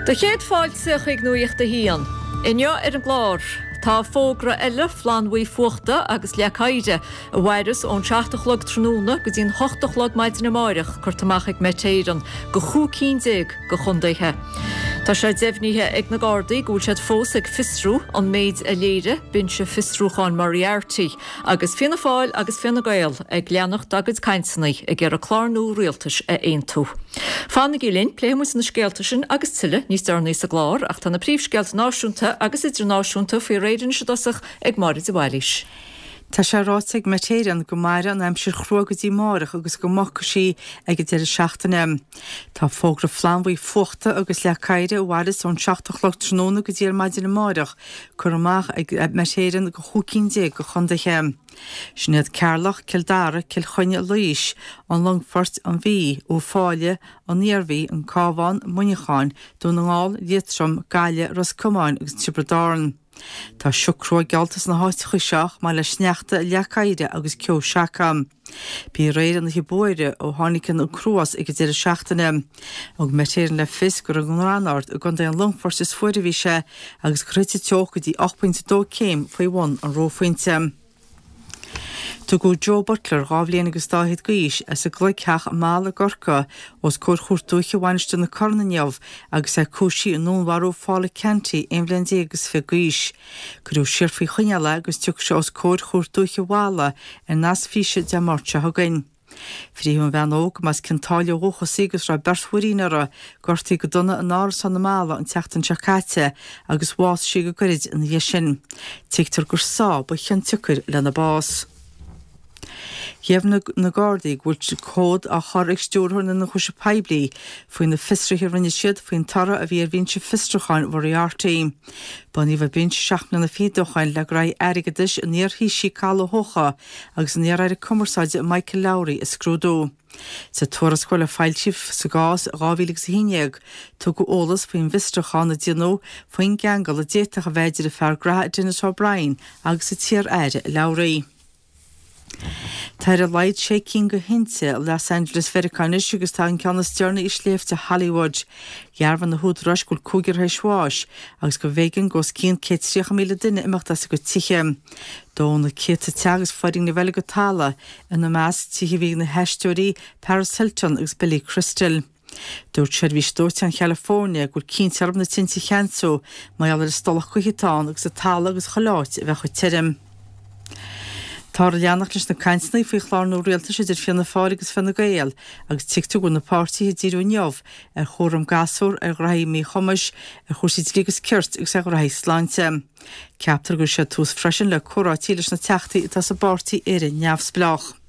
Do chéad fáilte chuig Nuacht a hAon. Inniu ar an gclár, tá fógra eile flannbhuí fuachta agus leac oighir a mhairfeas ón 7 a chlog tráthnóna go dtí'n 8 a chlog maidin amáireach curtha amach ag Met Éireann go chúig cinn déag de chondaetha. Tá sé deimhnithe ag na Gardaí go bhfuil siad fós ag fiosrú an méid a léirigh Binse Fiosrúcháin Moriarty agus Fianna Fáil agus Fine Gael ag leanacht dá gcuid cainteanna ag iarraidh clár nua rialtais a aontú. Fanaigí linn, pléifidh muid na scéalta sin agus tuilleadh níos deireanaí sa gclár ach tá na príomhscéalta náisiúnta agus idirnáisiúnta faoi réir anois i dtosach ag Máire de Bhailís. Tá sé ráite ag Met Éireann go mairfidh an aimsir chrua go dtí amárach agus go mbogfaidh sí ag an deireadh seachtaine. Tá fógra flannbhuí fuachta agus leac oighir a mhairfeas ón 7 a chlog tráthnóna go dtí ar maidin amárach curtha amach ag Met Éireann go chúig cinn déag de chondaetha. Sin iad Ceatharlach, Cill Dara, Cill Chainnigh, Laois, an Longfort, an Mhí, Uíbh Fhailí, an Iarmhí, an Cabhán, Muineachán, Dún na nGall, Liatroim, Gaillimh, Ros Comáin agus Tiobraid Árann. Tá sioc crua geallta sna háiteacha seo chomh maith le sneachta, leac oighir agus ceo seaca. B'í aréir an oíche ba fhuaire ó tháinig an cruas ag an deireadh seachtaine. Thug Met Éireann le fios gur i nGranárd i gContae an Longfoirt is fuaire a bhí sé agus gur thit an teocht go dtí 8.2 céim faoi bhun an reophointe. Tugadh Joe Butler, 2 bhliain agus dá fhichead d'aois, as an gCloigtheach i Mala i gCorcaigh, os comhair Chúirt Dúiche Mhainistir na Corann inniu agus é cúisithe i ndúnmharú Phaula Canty, 11 bhliain agus fiche d'aois. Cuireadh siar faoi choinneáil é agus tiocfaidh sé os comhair Chúirt Dúiche Mhala ar nasc físe Dé Máirt seo chugainn. Frítheadh an bhean óg, go mb'as Cionn tSáile ó dhúchas í agus raibh beirt mhuirín uirthi, gortaithe go dona in árasán i Mala an tseachtain seo caite agus bhásaigh sí go gairid ina dhiaidh sin. Tuigtear gur sá ba chionsiocair lena bás. Dheimhnigh na Gardaí go bhfuil comhad á chur ag Stiúrthóir na nIonchúiseamh Poiblí faoi na fiosruithe a rinne siad faoin toradh a bhí ar bhinse fiosrúcháin Mhoriarty. Bunaíodh an binse seacht mbliana fichead ó shoin le graithí airgeadais an iar-Thaoisigh Cathal Ó hEochaidh agus an iar-aire cumarsáide Michael Lowry a scrúdú. Sa tuarascáil a foilsíodh sa gcás i 2011, tugadh eolas faoin bhfiosrúchán a déanadh faoin gceangal a d'fhéadfadh a bheith idir an fear graithe Denis O'Brien agus an t-iar-aire Lowry. Tá ar a laghad sé cinn de thinte i Los Angeles Mheiriceá anois agus tá an ceann is deireanaí i sléibhte Hollywood. Dhearbhaigh na húdaráis go bhfuil cúigear tar éis bháis agus go mb'éigean do os cionn 130,000 duine imeacht as a gcuid tithe. Dódh na céadta teach agus foirgnimh eile go talamh, ina measc tithe a bhí ag na haisteoirí Paris Hilton agus Billy Crystal. Dúirt Seirbhís Dóiteáin Chalifornia go bhfuil cinnte orthu na tinte a cheansú mar gheall ar an stolladh gaoithe atá ann agus an talamh agus chuile áit a bheith chomh tirim. Táthar ag leanacht leis na cainteanna faoi chlár nua rialtais idir Fianna Fáil agus Fine Gael agus tuigtear go bhfuil na páirtithe ag díriú inniu ar chúram gasúr, ar ghraithí míchumais, ar chúrsaí dlí agus cirt agus ar ghraithí sláinte. Ceaptar go gcuirfidh siad tús freisin le comhráití leis na teachtaí atá sa bpáirtí Éire Neamhspleách.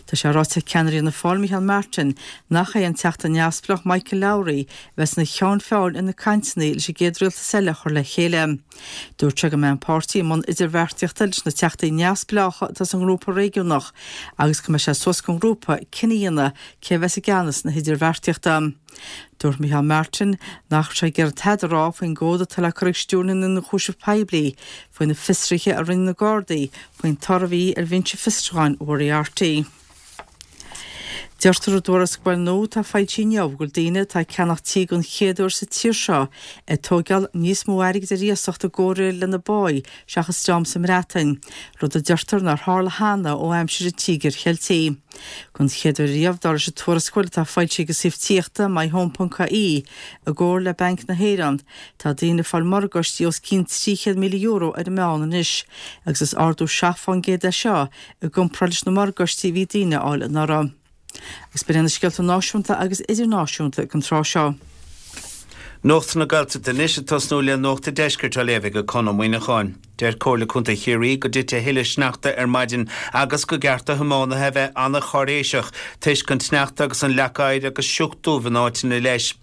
Tá sé ráite ag ceannaire Fhianna Fáil Micheál Martin nach é an Teachta Neamhspleách Michael Lowry a bheas ina cheann feadhain ar na cainteanna leis an gcéad rialtas eile a chur le chéile. Dúirt sé go mbeidh an páirtí i mbun idirbheartaíochta leis na teachtaí neamhspleácha atá sa ngrúpa réigiúnach agus go mbeidh sé suas don ghrúpa cinneadh a dhéanamh cé a bheas i gceannas na hidirbheartaíochta. Dúirt Micheál Martin nach raibh sé ag iarraidh tada a rá faoin gcomhad atá le cur ag Stiúrthóir na nIonchúiseamh Poiblí faoi na fiosruithe a rinne na Gardaí faoin toradh a bhí ar bhinse fiosrúcháin Mhoriarty. Deirtear i dtuarascáil nua atá foilsithe inniu go bhfuil daoine atá ag ceannach tí den chéad uair sa tír seo ag tóigeáil níos mó airgid ar iasacht i gcomhréir lena bpáí seachas dream sa mBreatain, rud a deirtear nár tharla cheana ó aimsir an Tíogair Cheiltigh. Don chéad uair riamh, dar leis an tuarascáil atá foilsithe ag an suíomh tithíochta myhome.ie i gcomhar le Banc na hÉireann, tá daoine ag fáil morgáistí os cionn €300,000 ar an meán anois, agus is ardú 7 fán gcéad é seo i gcomparáid leis na morgáistí a bhí daoine a fháil anuraidh. Agus b'in iad na scéalta náisiúnta agus idirnáisiúnta ag an tráth seo. Nuacht na Gaeltachta anois ag tosnú le Nuacht an Deiscirt á léamh ag Conn Ó Muíneacháin. Deir Comhairle Contae Chiarraí go dtitfidh a thuilleadh sneachta ar maidin agus go gceart do thiománaithe a bheith an-cháiréiseach toisc an tsneachta agus an leac oighir agus sioc dubh in áiteanna leis.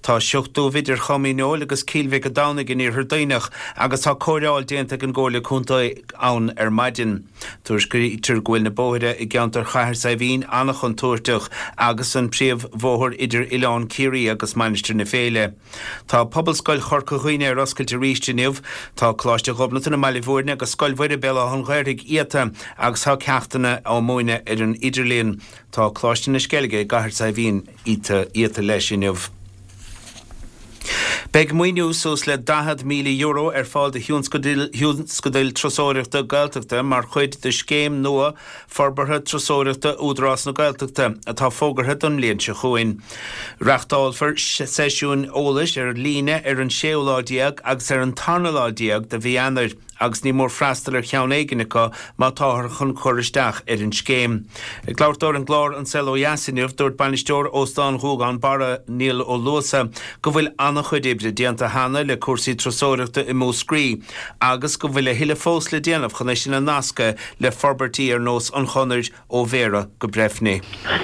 Tá sioc dubh idir Chom Dhíneol agus Cill Mhic an Domhnaigh in Iarthar Duibhneach agus tá cóireáil déanta ag an gComhairle Contae ann ar maidin. Tuairiscítear go bhfuil na bóithre i gceantar Chathair Saidhbhín an-chontúirteach agus an príomhbhóthar idir Oileán Ciarraí agus Mainistir na Féile. Tá Pobalscoil Chorca Dhuibhne ar oscailt arís inniu. Tá Coláiste Ghobnatan i mBaile Bhúirne agus Scoil Mhuire Béal Átha an Ghaorthaidh iata agus tá ceachtanna á múineadh ar an idirlíon. Tá Coláiste na Sceilge i gCathair Saidhbhín iata leis inniu. Beidh maoiniú suas le €40,000 ar fáil do thionscadail turasóireachta Gaeltachta mar chuid de scéim nua forbartha turasóireachta Údarás na Gaeltachta atá fógartha don mbliain seo chugainn. Reáchtálfar seisiúin eolais ar líne ar an séú lá déag agus ar an tarna lá déag de mhí Eanáir. agus ní mór freastal ar cheann éigin acu má táthar chun cur isteach ar an scéim. Ag labhairt dó ar an gclár An Saol Ó Dheas inniu, dúirt bainisteoir Óstán Ghuagán Barra, Niall Ó Luasa, go bhfuil an-chuid oibre déanta cheana le cúrsaí turasóireachta i Múscraí agus go bhfuil a thuilleadh fós le déanamh chun é sin a nascadh le forbairtí ar nós an chonair ó Bhéarra go Breifne.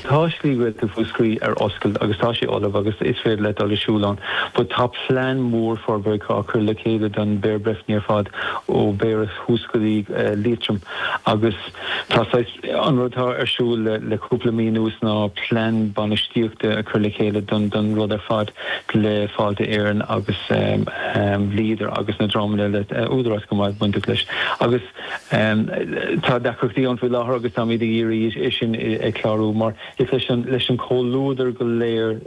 Tá Slí Ghaeltacht Mhúscraí ar oscailt agus tá sé ullamh agus is féidir leat dul ag siúl ann but tá plean mór forbartha á chur le chéile don Bhéarra Breifne ar fad ó Bhéarra thuas go dtí Liatroim agus tá saghas, an rud atá ar siúl le cúpla mí anuas ná plean bainistíochta a chur le chéile don don rud ar fad le Fáilte Éireann agus Leader agus na dreamanna eile, Údarás go maith bainteach leis agus. Tá deacrachtaí ann faoi láthair agus táimid ag iarraidh é sin a chlárú mar is leis an leis an comhluadar go léir,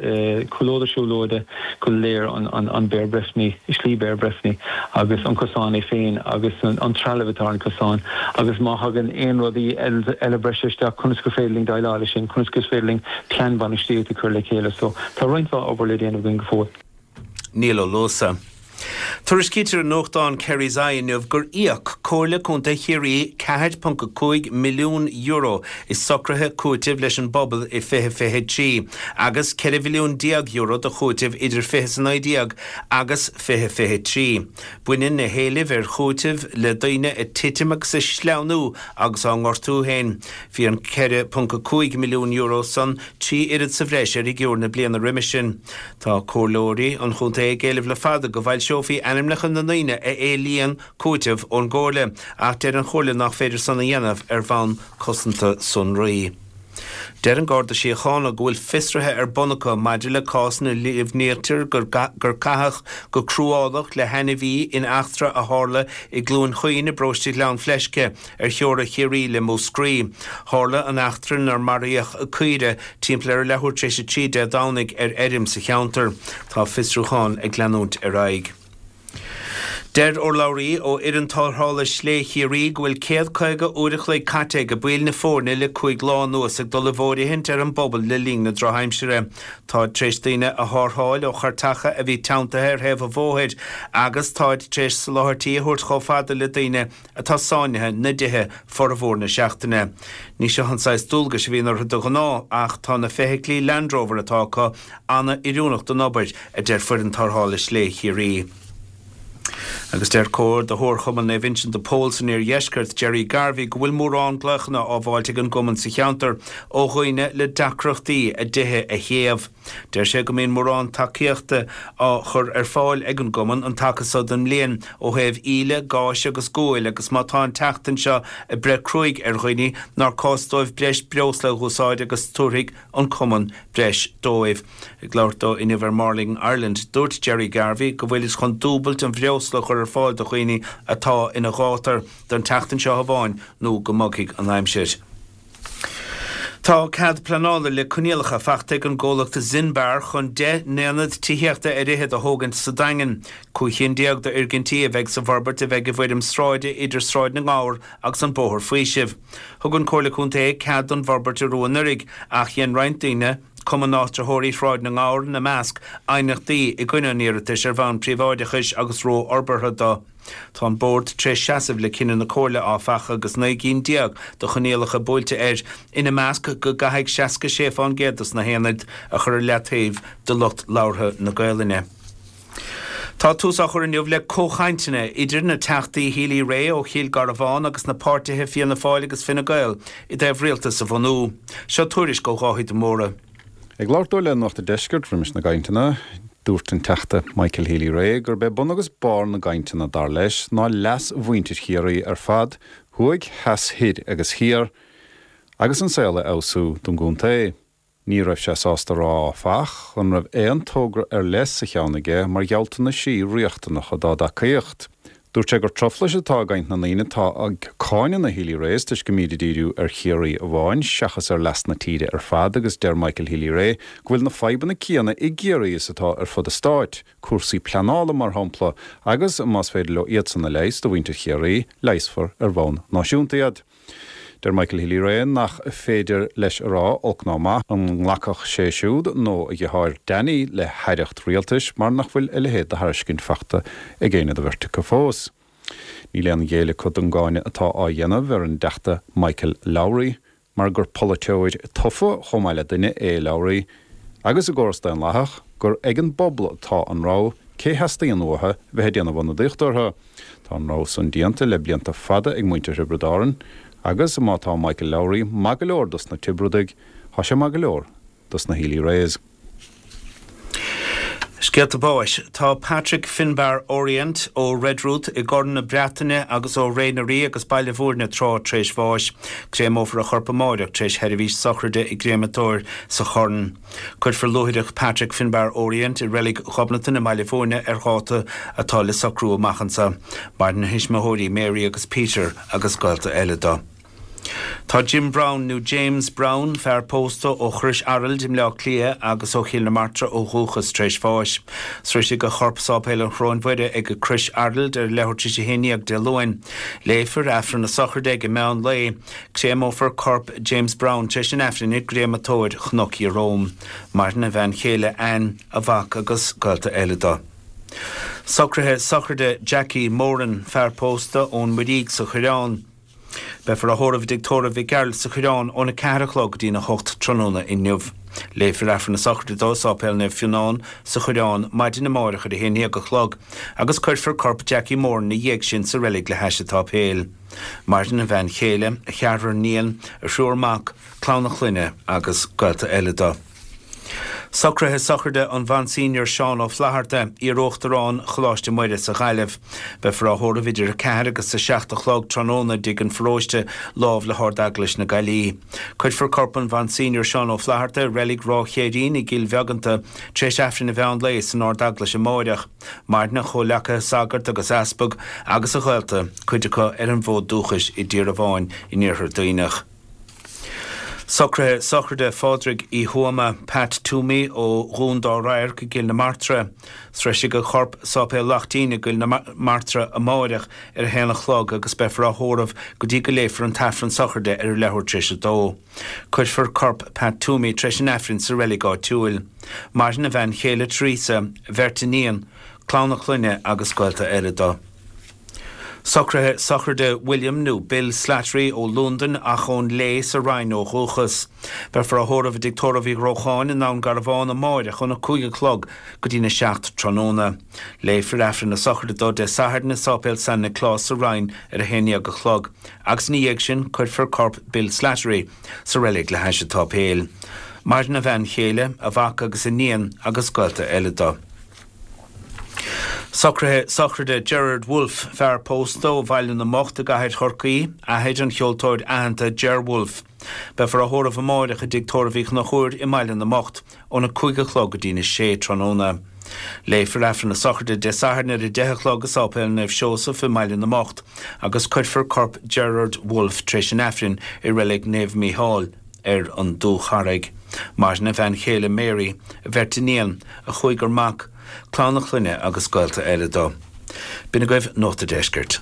comhluadar siúlóide go léir an Béar Breifne, Slí Béar Breifne agus an cosán é féin agus an trealamh atá ar an cosán agus má thagann aon rudaí eile breise isteach conas gur féidir linn déileáil leis sin, conas gur féidir linn plean bainistíochta a chur le chéile. So tá roinnt mhaith obair le déanamh againn go fóill. Niall Ó Luasa. Tuairiscítear i nuachtán Kerry's Eye inniu gur íoc Comhairle Contae Chiarraí €4.5 milliún i socruithe cúitimh leis an bpobal i 2023 agus €14 mhilliún de chúiteamh idir 2019 agus 2023. Baineann na héilimh ar chúiteamh le daoine ag titim agus ag sleamhnú agus á ngortú féin. Bhí an €4.5 milliún san trí oiread sa bhreis ar fhigiúr na bliana roimhe sin. Tá comhairleoirí an chontae ag éileamh le fada go bhfoilseofaí ainmneacha na ndaoine a éilíonn cúiteamh ón gcomhairle, ach deir an chomhairle nach féidir san a dhéanamh ar bhonn cosanta sonraí. Deir an Garda Síochána go bhfuil fiosruithe ar bun acu maidir le cás ina líomhnaítear gur caitheadh go cruálach le hainmhí in eachtra a tharla i gCluain Chaoin i bparóiste Ghleann Fleisce ar theora Chiarraí le Múscraí. Tharla an eachtra inar maraíodh caoire timpeall ar a leathuair tar éis 3 Dé Domhnaigh ar fheirm sa cheantar. Tá fiosrúchán ag leanúint ar aghaidh. Deir urlabhraí ó fhoireann tarrthála Slé Chiarraí go bhfuil 150 uair a chloig caite ag baill na foirne le 5 lá anuas ag dul i bhfóirithint ar an bpobal le linn na drochaimsire. Táid tar éis daoine a tharrtháil ó chairteacha a bhí teanntaithe ar thaobh an bhóthair agus táid tar éis soláthairtí a thabhairt chomh fada le daoine atá sáinnithe 'na dtithe formhór na seachtaine. Ní seo an saghas dualgais a bhíonn orthu de ghnáth ach tá na feithiclí Land Rover atá acu an-oiriúnach don obair, a deir Foireann Tarrthála Slé Chiarraí. Agus deir Comhordaitheoir Chumann Naomh Uinseann de Pól san Iardheisceart, Gerry Garvey, go bhfuil mórán glaochanna á bhfáilt ag an gcumann sa cheantar ó dhaoine le deacrachtaí a dtithe a théamh. Deir sé go mbíonn mórán tacaíochta á chur ar fáil ag an gcumann an taca so den mbliain ó thaobh íle, gáis agus guail agus má tá an tseachtain seo ag breith cruaidh ar dhaoine nár cás dóibh breis breosla a dh'úsáid agus tabharfaidh an cumann breis dóibh. Ag labhairt dó inniu ar Morning Ireland, dúirt Gerry Garvey go bhfuilid chun dúbailt an bhreosla a chur ar fáil do dhaoine atá ina ghátar don tseachtain seo amháin nó go mbogfaidh an aimsir. Tá cead pleanála le coinníollacha faighte ag an gcomhlacht Zinbar chun 10 n-aonad tithíochta ar fhichead a thógaint sa Daingean. 15 chinn d'fhoirgintí a bheidh sa bhforbairt a bheidh i bhfoirm sráide idir Sráid na nGabhar agus an Bóthar Faoisimh. Thug an Comhairle Contae cead don bhforbairt arú anuraidh ach dhein roinnt daoine, Cumann Áitritheoirí Shráid na nGabhar ina measc, aighneachtaí i gcoinne an iarratais ar bhonn príobháideachais agus rófhorbartha do. Tá an Bord tar éis seasamh le cinneadh na Comhairle, áfach, agus 19 gcinn de choinníollacha buailte air, ina measc go gcaithfidh 66 fán gcéad dos na haonaid a chur ar leataobh do lucht labhartha na Gaolainne. Tá tús á chur inniu le comhchainteanna idir na Teachtaí Healy-Rae ó Chill Garbhán agus na páirtithe Fianna Fáil agus Fine Gael i dtaobh rialtas a bhunú. Seo tuairisc ó Dháithí de Mórdha. Ag labhairt dó le Nuacht an Deiscirt roimis na gcainteanna, dúirt an Teachta Michael Healy-Rae gurb é bun agus barr na gcainteanna, dar leis, ná leas mhuintir Chiarraí ar fad, thuaidh, theas, thoir agus thiar, agus an saol a fheabhsú don gcontae. Ní raibh sé sásta a rá, áfach, an raibh aon togra ar leith sa cheann aige mar ghealltanaisí riachtanacha dá dtacaíocht. Dúirt sé gur truflais atá i gcaint na ndaoine atá ag cáineadh na Healy-Raes toisc go mbíd ag díriú ar Chiarraí amháin seachas ar leas na tíre ar fad agus deir Michael Healy-Rae go bhfuil na fadhbanna céanna i gCiarraí is atá ar fud an stáit, cúrsaí pleanála mar shampla, agus más féidir leo iadsan a leigheas do mhuintir Chiarraí, leigheasfar ar bhonn náisiúnta iad. Deir Michael Healy-Rae nach féidir leis a rá, olc ná maith, an nglacfadh sé siúd nó a dheartháir Danny le haireacht rialtais mar nach bhfuil a leithéid de thairiscint faighte ag éinne de bheirt acu fós. Níl aon ghéilleadh acu don gcáineadh atá á dhéanamh ar an dTeachta Michael Lowry. mar gur polaiteoir tofa chomh maith le duine é Lowry, agus i gcóras daonlathach, gur ag an bpobal atá an rogha cé theastaíonn uathu bheith ag déanamh ionadaíocht orthu. Tá an rogha san déanta le blianta fada ag muintir Thiobraid Árann, agus má tá Michael Lowry maith go leor dos na Tiobradaigh, tá sé maith go leor dos na Healy-Raes. Scéalta báis. Tá Patrick Finbarr Orient ó Redruth i gCorn na Breataine agus ó Ré na Rí agus Baile Bhúirne tráth tar éis bháis. Créamófar a chorp amáireach tar éis sheirbhís sochraide i gcréamatóir sa Chorn. Cuirfear luaithreach Patrick Finbarr Orient i Reilig Ghobnatan i mBaile Bhúirne ar dháta atá le socrú amach anso. Maireann a thuismitheoirí Mary agus Peter agus gaolta eile dó. Tá Jim Browne, nó James Browne, fear pósta ó Chrois Araild i mBleá Cliath agus ó Chill na Martra ó dhúchas, tar éis bháis. Sroisfidh a chorp Sáipéal an Choróin Mhuire ag Crois Araild ar leathuair tar éis a 11 Dé Luain. Léifear Aifreann na sochraide ag an meán lae. Créamófar corp James Browne tar éis an Aifrinn i gcréamatóir Chnoc Ieróm. Maireann a bhean chéile Anne, a mhac agus gaolta eile dó. Socruithe sochraide Jackie Moran, fear pósta ón Muirígh sa Choireán. Beifear á thórramh i dTigh Tórraimh Mhic Gearailt sa Choireán óna 4 a chlog go dtína 8 tráthnóna inniu. Léifear Aifreann na sochraide dó i Sáipéal Naomh Fionnán sa Choireán maidin amáireach ar a 11 a chlog agus cuirfear corp Jackie Moran ina dhiaidh sin sa reilig le hais an tsáipéil. Maireann a bhean chéile, a cheathrar níon, a thriúr mac, clann a chlainne agus gaolta eile dó. Socruithe sochraide an Mhonseigneur Seán Ó Flatharta, iar-Uachtarán Choláiste Muire sa Ghaillimh. Beifear á thórramh idir 4 agus 7 a chlog tráthnóna i dTigh an Pharóiste, lámh le hArd-Eaglais na Gaillimhe. Cuirfear corp an Mhonseigneur Seán Ó Flatharta i reilig Ráth Chéirín i gCill Bheaganta tar éis Aifreann an mheán lae san Ard-Eaglais amáireach. Maireann a chomhleacaithe sagart agus easpag agus a ghaolta, cuid acu ar an bhfód dúchais i dTír Abháin in Iarthar Duibhneach. Socruithe sochraide Phádraig Uí Thuama, Pat Toomey, ó Dhún Dá Radharc i gCill na Martra. Sroisfidh a chorp Sáipéal Laichtín i gCill na Martra amáireach ar a haon a chlog agus beifear á thórramh go dtí go léifear an t-aifreann sochraide ar a leathuair tar éis a dó. Cuirfear corp Pat Toomey tar éis an aifrinn sa reilig áitiúil. Maireann a bhean chéile Teresa, a bheirt iníon, clann a clainne agus gaolta eile dó. Socruithe sochraide William nó Bill Slattery ó Londain ach ón Léith sa Rinn ó dhúchas. Beifear á thórramh i dTigh Tórraimh Uí Ghrócháin i nDún Garbhán amáireach óna 5 a chlog go dtína 7 tráthnóna. Léifear Aifreann na sochraide dó Dé Sathairn i Sáipéal San Nioclás sa Rinn ar 11 a chlog agus ina dhiaidh sin cuirfear corp Bill Slattery sa reilig le hais an tsáipéil. Maireann a bhean chéile, a mhac agus a níon agus gaolta eile dó. Socruithe sochraide Gerard Wolfe, fear pósta ó Bhaile na mBocht i gCathair Chorcaí, athair an cheoltóir aitheanta Ger Wolfe. Beifear á thórramh amáireach i dTigh Tórraimh Uí Chonchúir i mBaile na mBocht óna 5 a chlog go dtína 6 tráthnóna. Léifear Aifreann na sochraide Dé Sathairn ar 10 a chlog i Sáipéal Naomh Seosamh i mBaile na mBocht agus cuirfear corp Gerard Wolfe tar éis an Aifrinn i Reilig Naomh Mícheál ar an Dúcharraig. Maireann a bhean chéile Mary, a bheirt iníon, a chúigear mac, clann a chlainne agus gaolta eile dó. B'in agaibh Nuacht a' Deiscirt.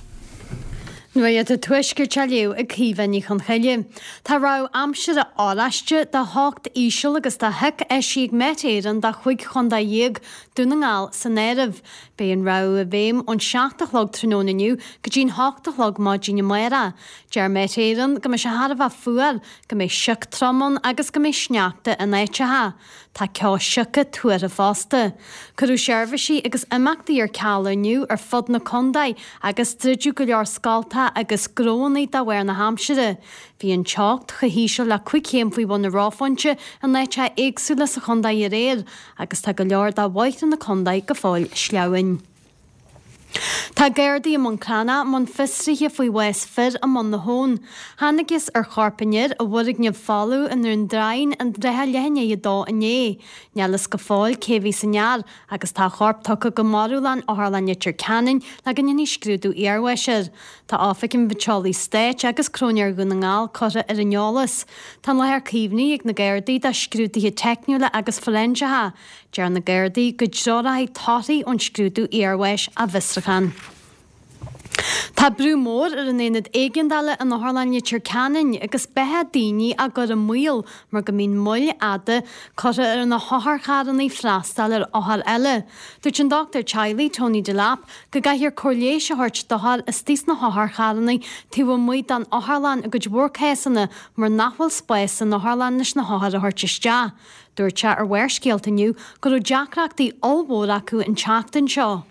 Nuacht an Tuaiscirt á léamh ag Caoimhe Ní Chonchoille. Tá rabhadh aimsire oráiste de theocht íseal agus de shioc eisithe ag Met Éireann do chúig chontae dhéag, Dún na nGall san áireamh. Beidh an rabhadh i bhfeidhm ón 7 a chlog tráthnóna inniu go dtí'n 8 a chlog maidin amárach. Deir Met Éireann go mbeidh sé thar a bheith fuar, go mbeidh sioc trom ann agus go mbeidh sneachta in áiteacha. Tá ceo sioca tuartha fosta. Cuireadh seirbhísí agus imeachtaí ar ceal inniu ar fud na contae agus druideadh go leor scoltacha agus gnóanna de bharr na haimsire. Bhí an teocht chomh híseal le 5 chéim faoi bhun an reophointe in áiteacha éagsúla sa chontae aréir agus tá go leor de bhóithre na contae go fóill sleamhain. Tá Gardaí i mBun Cranncha i mbun fiosraithe faoi bhás fir i mBun na hAbhann. Thángthas ar chorp an fhir i bhfoirgneamh folamh i nDún Draighneáin i dtrátha leath i ndiaidh a dó inné. Níl fhios go fóill cé a bhí san fhear agus tá a chorp tugtha go marbhlann Otharlann Leitir Ceanainn le go ndéanfaí scrúdú iarbháis air. Tá Oifig an Phaiteolaí Stáit agus Cróinéir Dhún na nGall curtha ar an eolas. Tá an láthair caomhnaithe ag na Gardaí do scrúduithe teicniúla agus foiréinseacha. Deir na Gardaí go dtreoróidh torthaí ón scrúdú iarbháis a bhfiosrúchán. Tá brú mór ar an aonad éigeandála in Otharlann Leitir Ceanainn agus beatha daoine á gcur i mbaol mar go mbíonn moill fhada curtha ar na hotharcharranna freastal ar othair eile. Dúirt an dochtúir teaghlaigh Tony Delap go gcaithfear cóir leighis a thabhairt d'othair istigh sna hotharcharranna taobh amuigh den otharlann i gcuid mhór cásanna mar nach bhfuil spás san otharlann leis na hothair a thabhairt isteach. Dúirt sé ar Bharrscéalta inniu go raibh deacrachtaí ollmhór acu an tseachtain seo.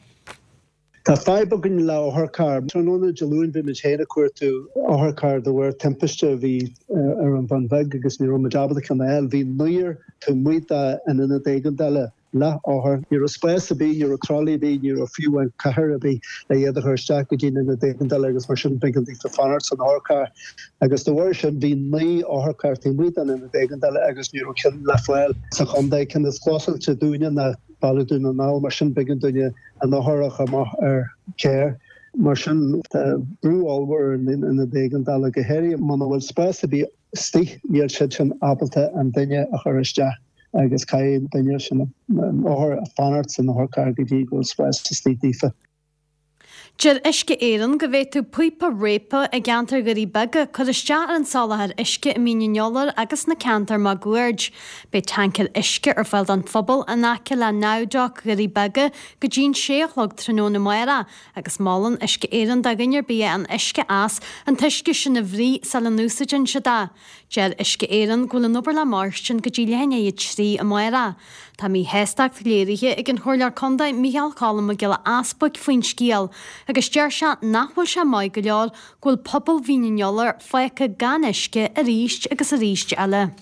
Tá fadhb againn le otharcharr. Tráthnóna Dé Luain bhí muid féin ag cuartú otharcharr de bharr timpiste a bhí ar an Bhun Bheag agus ní raibh muid ábalta ceann a fháil. Bhí naonúr taobh amuigh den ionad éigeandála le hothair. Ní raibh spás ar bith, ní raibh tralaí ar bith, ní raibh fiú amháin cathaoir ar bith le iad a chur isteach go dtí an ionad éigeandála agus mar sin b'éigean daofa fanacht san otharcharr. Agus de bharr sin bhí 9 otharcharr taobh amuigh den ionad éigeandála agus ní raibh ceann le fáil sa chontae. Ceann is clósáilte dúinne ná baile Dún na nGall mar sin b'éigean dúinne an othar a chur amach ar carr. Mar sin tá brú ollmhór ar an ionad éigeandála, go háirithe muna bhfuil spás ar bith istigh, níl siad sin ábalta an duine a chur isteach agus caithfidh an duine sin, an othar, fanacht san otharcharr go dtí go bhfuil spás istigh daofa. Deir Uisce Éireann go bhféadfadh píopa réabtha i gceantar Dhoirí Beaga cur isteach ar an soláthar uisce i Mín an Iolair agus sna ceantair máguaird. Beidh tancaeir uisce ar fáil don phobal in aice le Naomh Dhoirí Beaga go dtí'n sé a chlog tráthnóna amárach agus molann Uisce Éireann do dhuine ar bith a fhaigheann uisce as an t-uisce sin a bhruith sula n-úsáideann siad é. Deir Uisce Éireann go bhfuil an obair le mairstin go dtí leath i ndiaidh a 3 amárach. Tá míshástacht léirithe ag an Chomhairleoir Contae Micheál Cholm Mac Giolla Easbuic faoin scéal agus deir sé nach bhfuil sé maith go leor go bhfuil pobal Mhín an Iolair fágtha gan uisce arís agus arís eile.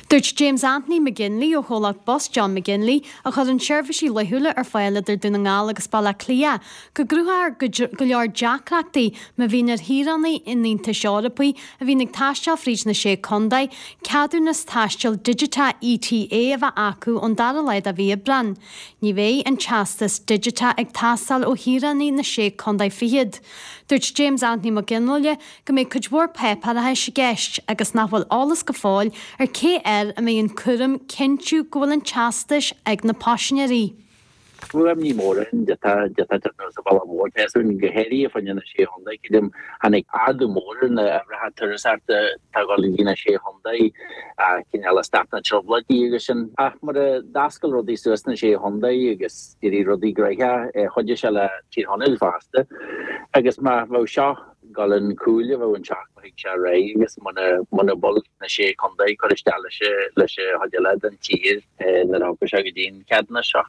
Dúirt James Anthony McGinley ó chomhlacht bus John McGinley, a chuireann seirbhísí laethúla ar fáil idir Dún na nGall agus Baile Átha Cliath, go gcruthófar go leor deacrachtaí má bhíonn ar shaoránaigh an Aontais Eorpaigh a bhíonn ag taisteal fríd na Sé Contae ceadúnas taistil digiteach ETA a bheith acu ón dara lá de mhí Aibreáin. Ní bheidh an teastas digiteach ag teastáil ó shaoránaigh na Sé Contae Fichead. Dúirt James Anthony Mac Fhionnghaile go mbeidh cuid mhór páipéarachais i gceist agus nach bhfuil eolas go fóill ar cé air a mbeidh an cúram cinntiú go bhfuil an teastais ag na paisinéirí. Fuaim ní mór ann de tá de tá sa bhaile mór Pheasún go háirithe fá choinne na Sé Chontae creidim tháinig ardú mór ar na uimhreacha turasóireachta atá ag dul go dtí na Sé Chontae cineál ag stop na trioblóidí agus sin. Ach mar a d'oscail rudaí suas sna Sé Chontae agus d'éirigh rudaí gnoitheach chuidigh sé le Tír Chonaill fosta agus má bheadh seo dul chun cúil a bheadh anseo go thig sé ar aghaidh agus muna muna bhfuil na sé chontae ag cur isteach leis leis an chuid eile den tír nuair a thiocfaidh sé go dtí an ceadúnas seo.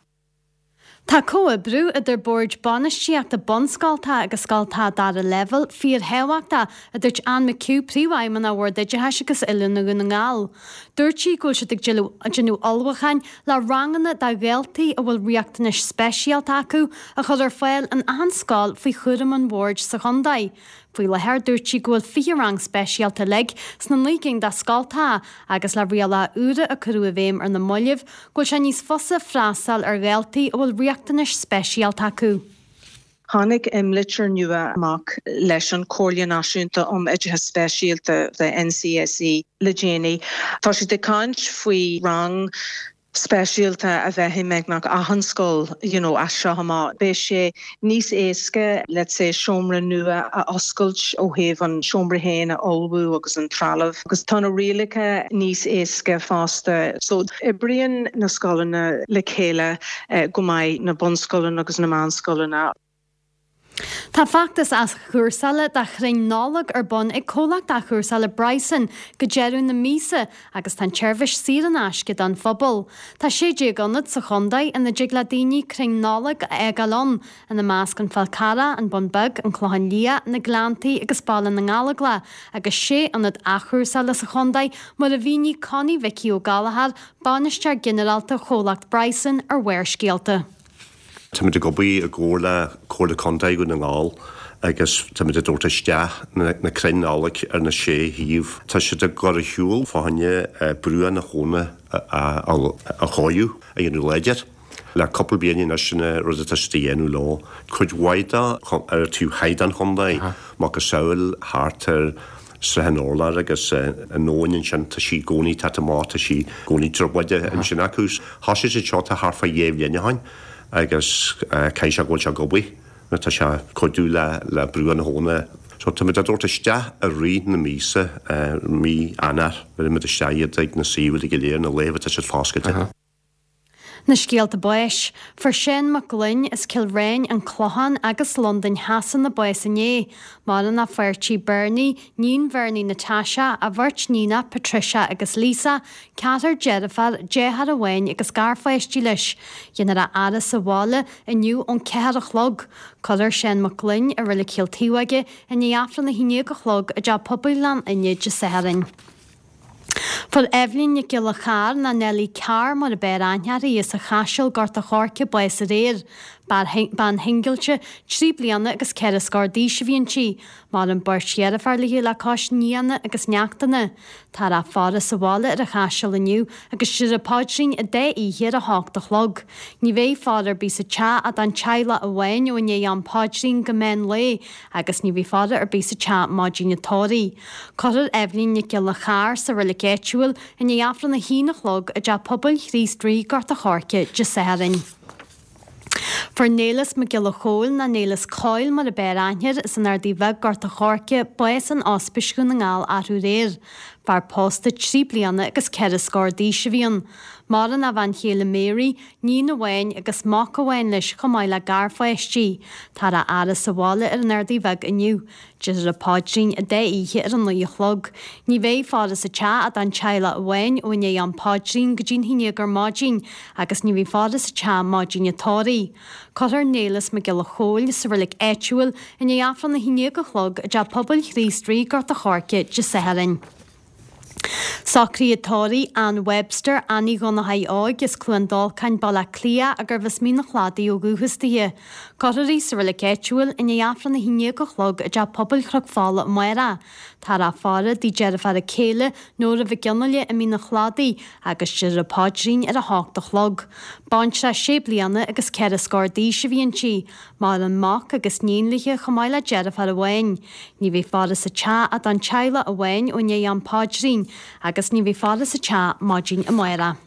Tá comhoibriú idir boird bainistíochta bunscoltacha agus scoltacha dara leibhéal fíorthábhachtach, a dúirt Anne McHugh, Príomhfheidhmeannach Bhord Oideachais agus Oiliúna Dhún na nGall. Dúirt sí go bhfuil siad ag déanamh ullmhúcháin le ranganna do dhaltaí a bhfuil riachtanais speisialta acu a chur ar fáil in achan scoil faoi chúram an bhoird sa chontae. Faoi láthair, dúirt sí go bhfuil 20 rang speisialta uilig sna 9 gcinn de scoltacha agus le rialacha úra a cuireadh i bhfeidhm ar na mallaibh, go bhfuil sé níos fusa freastal ar dhaltaí a bhfuil riachtanais speisialta acu. Tháinig imlitir nua amach leis an Chomhairle Náisiúnta um Oideachas Speisialta, the NCSE, le déanaí. Tá siad ag caint faoi rang speisialta a bheith i mbeagnach achan scoil you know as seo amach. Beidh sé níos éasca let's say seomra nua a oscailt ó thaobh an seomra féin a ullmhú agus an trealamh agus tá na rialacha níos éasca fosta. So oibríonn na scoileanna le chéile go maith, na bunscoileanna agus na meánscoileanna. Tá feachtas athchúrsála de chrainn Nollag ar bun ag comhlacht athchúrsála Bryson go deireadh na míosa agus tá an tseirbhís saor in aisce don phobal. Tá 16 ionad sa chontae ina dtig le daoine crainn Nollag a fhágáil ann, ina measc an Fál Carrach, an Bun Beag, an Clochán Liath, na Gleanntaí agus Baile na nGallóglach, agus sé ionad athchúrsála sa chontae mar a mhínigh Connie Mhicí Ó Gallchóir, Bainisteoir Ginearálta Chomhlacht Bryson ar Bharrscéalta. Táimid ag obair i gcomhar le Comhairle Contae Dhún na nGall agus táimid ag tabhairt isteach na crainn Nollag ar na sé shuíomh. Tá siad ag dul ar shiúl fá choinne bruach na habhna a chóiriú, a dhéanamh láidir. Le cúpla bliain anois sin an rud atá siad a dhéanamh leo. Cuid mhaith de ar an taobh thoir den chontae, macasamhail thart ar Srath an Urláir agus an abhainn ansin, tá sí i gcónaí ag teacht amach, tá sí i gcónaí trioblóideach ansin acu. Thosaigh siad seo tá thart fá dheich mbliana ó shin agus caithfidh sé go bhfuil sé ag obair nó tá sé ag cuidiú le bruach na habhna. So táimid á dtabhairt isteach i rith na míosa, mí Eanáir, bhéarfaimid isteach iad ag na suíomhanna go léir, na laetha atá siad foscailte. Na scéalta báis. Fuair Seán Mac Gloinn as Cill Ráin, An Clochán agus Londain Shasana bás inné. Maireann a pháirtí Bernie, níon Bhernie Natasha, a bheirt níonach Patricia agus Lisa, ceathrar deirfiúr, deartháir amháin agus garpháistí leis. Déanfar a fhaire sa bhaile inniu ón ceathair a chlog. Cuirfear Seán Mac Gloinn i Reilig Chill Taobhóige i ndiaidh Aifreann 11 a chlog i dTeach Pobail Ghleann Fhinne Dé Sathairn. Fuair Eibhlín Nic Giolla Chairr, ná Nellie Carr mar a b'fhearr aithne uirthi, as an Chaiseal, Gort a' Choirce, bás aréir. Bean shingilte, trí bliana agus ceithre scór d'aois a bhí inti. Maireann beirt dheirféar léi le cois nianna agus neachtanna. Táthar á faire sa bhaile ar an Chaiseal inniu agus déarfar paidrín an dá oíche ar a hocht a chlog. Ní bheidh faire ar bith sa teach ach don teaghlach amháin ó i ndiaidh am paidrín go meán lae agus ní bheidh faire ar bith sa teach maidin an tórraimh. Cuirfear Eibhlín Nic Giolla Chairr sa reilig áitiúil i ndiaidh Aifreann a haon a chlog i dTeach Pobail Chríost Rí, Gort a' Choirce, Dé Sathairn. Fuair Néileas Mac Giolla Chóill, ná Néileas Coyle mar a b'fhearr aithne air, as an Ardaidh Bheag, Gort a' Choirce, bás in Ospís Dhún na nGall arú aréir. Fear pósta trí bliana agus ceithre scór d'aois a bhí ann. Maireann a bhean chéile Mary, níon amháin agus mac amháin leis chomh maith le garpháistí. Táthar á fhaire sa bhaile ar an Ardaidh Bheag inniu. Déarfar an paidrín an dá oíche ar a naoi a chlog. Ní bheidh faire sa teach ach don teaghlach amháin ó i ndiaidh am paidrín go dtí'n haon déag ar maidin agus ní bheidh faire sa teach maidin an tórraimh. Cuirfear Néileas Mac Giolla Chóill sa reilig áitiúil i ndiaidh Aifreann a haon déag a chlog i dTeach Pobail Chríost Rí, Gort a' Choirce, Dé Sathairn. Socruithe tórraimh Ann Webster, Annie Dhonnchaidh Óig as Cluain Dolcáin, Baile Átha Cliath, gurbh as Mín an Chladaigh ó dhúchas dithe. Cuirfear í sa reilig áitiúil i ndiaidh Aifreann a haon déag a chlog i dTeach Pobail Chnoc Fola amárach. Táthar á faire dtigh deirféar a céile, Nóra Mhic Fhionnghaile i Mín an Chladaigh, agus déarfar an paidrín ar a hocht a chlog. Baintreach sé bliana agus ceithre scór d'aois a bhí inti. Maireann mac agus níon léi chomh maith le deirfiúr amháin. Ní bheidh faire sa teach ach don teaghlach amháin ó i ndiaidh am paidrín agus ní bheidh faire sa teach maidin amárach.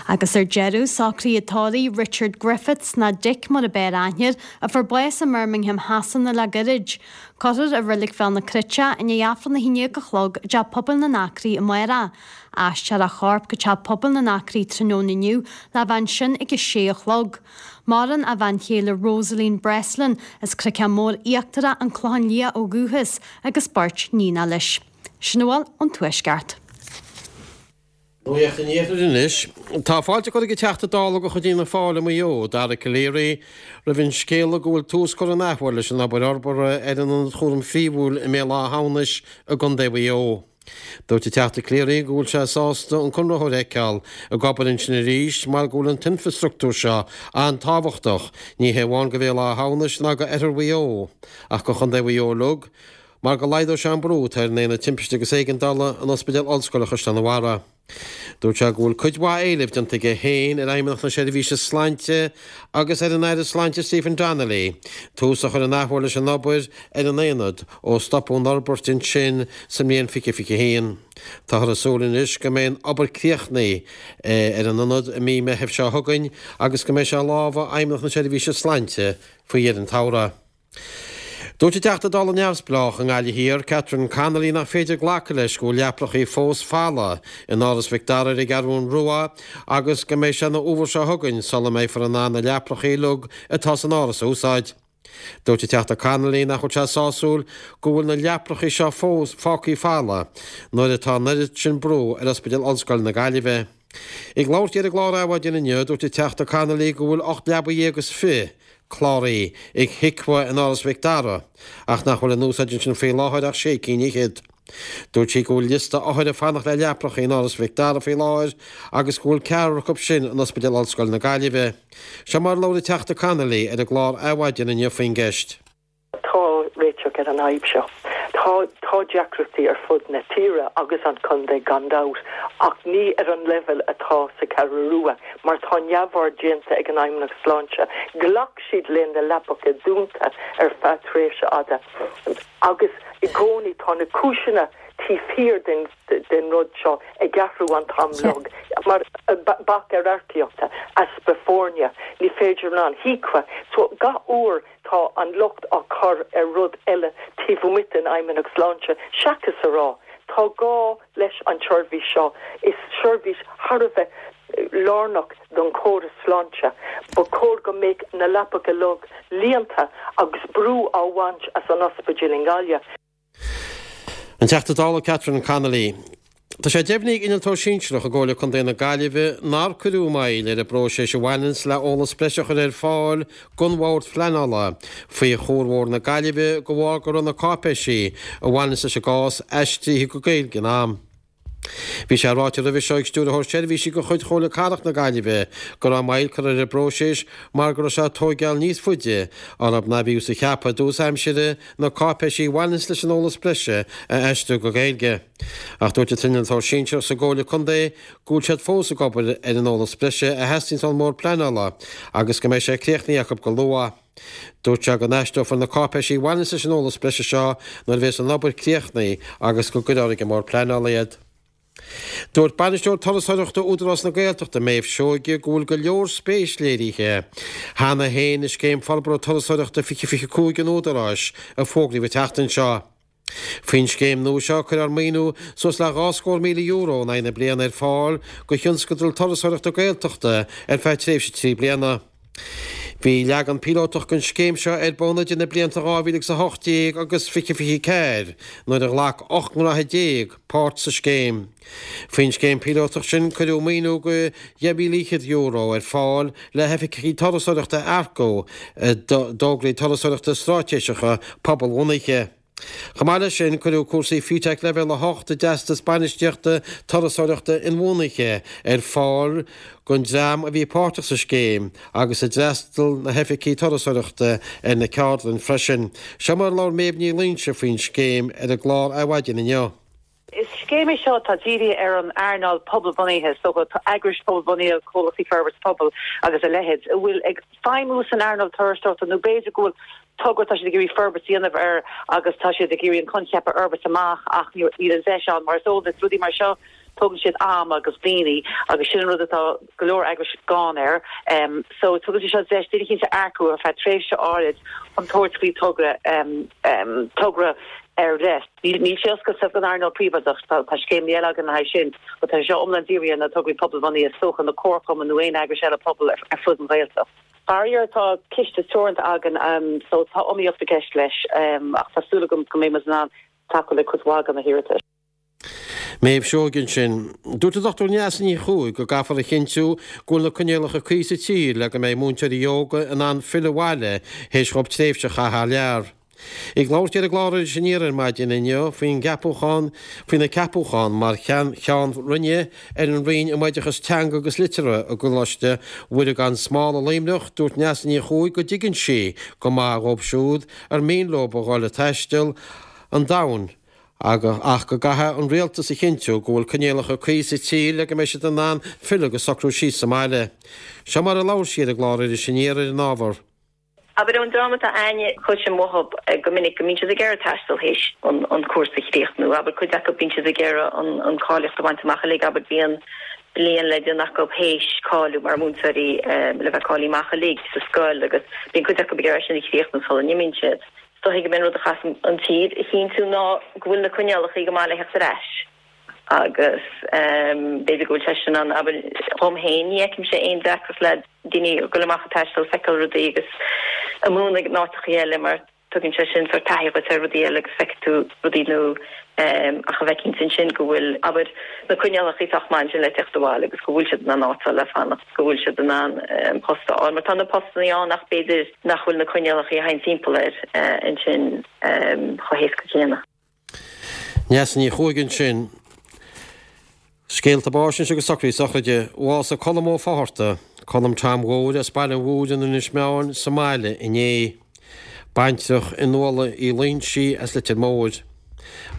Agus ar deireadh, socruithe tórraimh Richard Griffiths, ná Dick mar a b'fhearr aithne air, a fuair bás i mBirmingham Shasana le gairid. Cuirfear i Reilig Bhéal na Cruite i ndiaidh Aifreann 11 a chlog i dTeach Pobail na nAcraí amárach. Aistreofar a chorp go Teach Pobail na nAcraí tráthnóna inniu le bheith ansin ag a sé a chlog. Maireann a bhean chéile Rosaleen Breslin as Cnoicán Mór Íochtarach, An Clochán Liath ó dhúchas, agus beirt níonacha leis. Sin a bhfuil ón Tuaisceart. Nuacht an Iarthair anois. Tá fáilte curtha ag an Teachta Dála de chuid Fhianna Fáil i Maigh Eo, Dara Calleary, roimh an scéala go bhfuil tús curtha an athuair leis an obair fhorbartha ar an Ionad Chúraim Phríomhúil i mBéal Átha hAmhnais i gContae Mhaigh Eo. Dúirt an Teachta Calleary go bhfuil sé sásta an conraitheoir a fheiceáil ag obair ansin arís mar go bhfuil an t-infreastruchtúr seo an-tábhachtach, ní hé amháin do Bhéal Átha hAmhnais ná do Oirthear Mhaigh Eo, ach do Chontae Mhaigh Eo uilig, mar go laghdóidh sé an brú atá ar an Aonad Timpiste agus Éigeandála in Ospidéal Ollscoile Chaisleán an Bharraigh. Dúirt sé go bhfuil cuid mhaith éileamh déanta aige féin ar Fheidhmeannacht na Seirbhíse Sláinte agus ar an Aire Sláinte Stephen Donnelly tús a chur an athuair leis an obair ar an aonad ó stopadh an fhorbairt ansin sa mbliain 2021. Táthar ag súil anois go mbeidh an obair críochnaithe ar an ionad i mí Meithimh seo chugainn agus go mbeidh sé i lámha Fheidhmeannacht na Seirbhíse Sláinte faoi dheireadh an tsamhraidh. Dúirt an Teachta Dála Neamhspleách i nGaillimh Thiar, Catherine Connolly nach féidir glacadh leis go bhfuil leaprachaí fós folamh in Áras Mhic Dara ar an gCeathrú Rua agus go mbeidh sé ina fhómhar seo chugainn sula mbeifear in ann na leaprachaí uilig atá san áras a úsáid. Dúirt an Teachta Connolly nach bhfuil sé sásúil go bhfuil na leaprachaí seo fós fágtha folamh nuair atá an oiread sin brú ar Ospidéal Ollscoile na Gaillimhe. Ag labhairt di ar an gclár Adhmhaidin inniu, dúirt an Teachta Connolly go bhfuil 18 leabaidh is 20 cláraithe ag HIQA in Áras Mhic Dara ach nach bhfuil in úsáid ansin faoi láthair ach sé cinn fhichead. Dúirt sí go bhfuil liosta othair ag fanacht le leapacha in Áras Mhic Dara faoi láthair agus go bhfuil ceathrar acu sin in Ospidéal Ollscoile na Gaillimhe. Seo mar a labhair an Teachta Connolly ar an gclár Adhmhaidin inniu faoin gceist. Tá réiteach ar an fhadhb seo. Tá tá deacrachtaí ar fud na tíre agus an chontae gan dabht ach ní ar an leibhéal atá sa Cheathrú Rua mar tá neamhaird déanta ag an Fheidhmeannacht Sláinte. Ghlac siad le na leapacha dúnta ar feadh tréimhse fhada agus i gcónaí tá na cúiseanna taobh thiar den den rud seo ag athrú an t-am uilig mar bac ar earcaíochta, easpa foirne, ní féidir an HIQA. So gach uair tá an locht á chur ar rud eile taobh amuigh den Fheidhmeannacht Sláinte seachas a rá tá gá leis an tseirbhís seo, is seirbhís thar a bheith lárnach don chóras sláinte. Ba chóir go mbeadh na leapacha uilig líonta agus brú á bhaint as an ospidéal i nGaillimh. An Teachta Dála Catherine Connolly. Tá sé deimhnithe ag Innealtóir Sinsearach i gComhairle Contae na Gaillimhe nár cuireadh moill ar an bpróiseas a bhaineanns le eolas breise a chur ar fáil don Bhord Phleanála faoi Chuar Mhór na Gaillimhe de bharr go raibh na cáipéisí a bhaineanns leis an gcás aistrithe go Gaeilge in am. Bhí sé ráite roimhe seo ag Stiúrthóir Seirbhísí de chuid Chomhairle Cathrach na Gaillimhe go raibh moill curtha ar an bpróiseas mar go raibh sé ag tóigeáil níos faide arb ná bhíothas a cheapadh i dtús aimsire na cáipéisí a bhaineanns leis an eolas breise a aistriú go Gaeilge. Ach dúirt an t-innealtóir sinsearach sa gComhairle Contae go bhfuil siad fós ag obair ar an eolas breise a theastaíonns ón mBord Pleanála agus go mbeidh sé críochnaithe acu go luath. Dúirt sé go n-aistreofar na cáipéisí a bhaineanns leis an eolas breise seo nuair a bhéas an obair críochnaithe agus go gcuirfear ag an mBord Pleanála iad. Dúirt Bainisteoir Turasóireachta Údarás na Gaeltachta, Méabh Seoige, go bhfuil go leor spéis léirithe cheana féin i Scéim Forbartha Turasóireachta 2025 an Údaráis a fógraíodh an tseachtain seo. Faoin scéim nua seo, cuirfear maoiniú suas le €2,000,000 in aghaidh na bliana ar fáil do thionscadail turasóireachta Gaeltachta ar feadh tréimhse 3 bliana. Bhí leagan píolótach den scéim seo ar bun idir na blianta 2018 agus 2024 nuair a ghlac 18 ngnóthaí páirt sa scéim. Faoin scéim píolótach sin cuireadh maoiniú de €10,500 ar fáil le hoifigigh turasóireachta a earcú d'fhógraí turasóireachta straitéiseacha pobalbhunaithe. Chomh maith leis sin, cuireadh cúrsaí FETAC Leibhéal 8 i dTeastas Bainistíochta Turasóireachta Inbhuanaithe ar fáil don dream a bhí páirteach sa scéim agus a d'fhreastail na hoifigigh turasóireachta ar na ceardlanna freisin. Seo mar a labhair Méabh Ní Loingsigh faoin scéim ar an gclár Adhmhaidin inniu. Is scéim é seo atá dírithe ar an earnáil pobalbhunaithe, is dócha, eagrais pobalbhunaithe, comhlachtaí forbartha pobail agus a leithéid, a bhfuil ag feidhmiú san earnáil turasóireachta nó b'fhéidir go bhfuil togra atá siad ag iarraidh forbairt a dhéanamh air agus tá siad ag iarraidh an coincheap a fhorbairt amach ach níl an deis ann. Mar is eol duit, rudaí mar seo, tógann siad am agus daoine agus sin an rud atá go leor eagrais gann air. So tugann sé seo deis duine eicínt a earcú ar feadh tréimhse áirid chun tabhairt faoi togra, togra ar leith. Níl sé oscailte don earnáil phríobháideach, tá scéimeanna eile againn le haghaidh sin, but tá sé seo iomlán dírithe ar na tograí pobalbhunaithe, is dócha, na comharchumainn nó aon eagrais eile pobail ar fud an Ghaeltacht. Faraor tá ciste teoranta againn so tá iomaíocht i gceist leis ach tá súil agam go mbeidh muid in ann tacú le cuid mhaith de na hiarratais. Méabh Seoige ansin. Dúirt an Dr Neasa Ní Chuaig go gcaithfear a chinntiú go bhfuil na coinníollacha cuí sa tír le go mbeidh múinteoirí óga in ann filleadh abhaile théis dhóibh tréimhse a chaitheamh thar lear. Ag labhairt di ar an gclár Iris Aniar ar maidin inniu faoin gceapúchán faoina ceapúchán mar Cheann Roinne ar an Roinn um Oideachas Teanga agus Liteartha i gColáiste Mhuire gan Smál i Luimneach, dúirt Neasa Ní Chuaig go dtuigeann sí go maith dhóibh siúd ar mian leo a dhul ag taisteal an domhain ach go gcaithfidh an rialtas a chinntiú go bhfuil coinníollacha cuí sa tír le go mbeidh siad in ann filleadh agus socrú síos sa mbaile. Seo mar a labhair sí ar an gclár Iris Aniar ar an ábhar. Abair, ón dream atá a'inne, cloisim uathub go minic go mbíonn siad ag iarraidh taisteal théis an cúrsa a chríochnú. Abair, cuid acu bíonn siad ag iarraidh an cáilíocht a bhaint amach uilig, abair, bíonn bliain le déanamh acu théis cáiliú mar mhúinteoirí le bheith cáilithe amach uilig sa scoil agus bíonn cuid acu ag iarraidh sin a chríochnú sula n-imíonn siad. Is dóichí gurb é an rud a chaithfeas an tír a chinntiú ná go bhfuil na coinníollacha go maith le theacht ar ais agus b'fhéidir go bhfuil sé sin ann. Abair, dhom féin, ní fheicimse aon deacracht le daoine ag dul amach ag taisteal, feiceáil rudaí agus ag múineadh in áiteachaí eile mar tugann sé sin sórt taithí dhuit ar rudaí eile agus feicfidh tú rudaí nua. Ach a bheith cinnte ansin go bhfuil, abair, na coinníollacha sách maith ansin le teacht abhaile agus go bhfuil siad in ann áit a fháil le fanacht, go bhfuil siad in ann post a fháil. Mar tá na postannaí ann ach b'fhéidir nach bhfuil na coinníollacha a théann timpeall air ansin chomh héasca céanna. Neasa Ní Chuaig ansin. Scéalta báis anois agus socruithe sochraide. Bhásaigh Colm Ó Fátharta, Colm Tom Mhóir as Baile an Mhúir in Inis Meáin sa mbaile inné. Baintreach Fhionnuala Uí Loingsigh as Leitir Móir.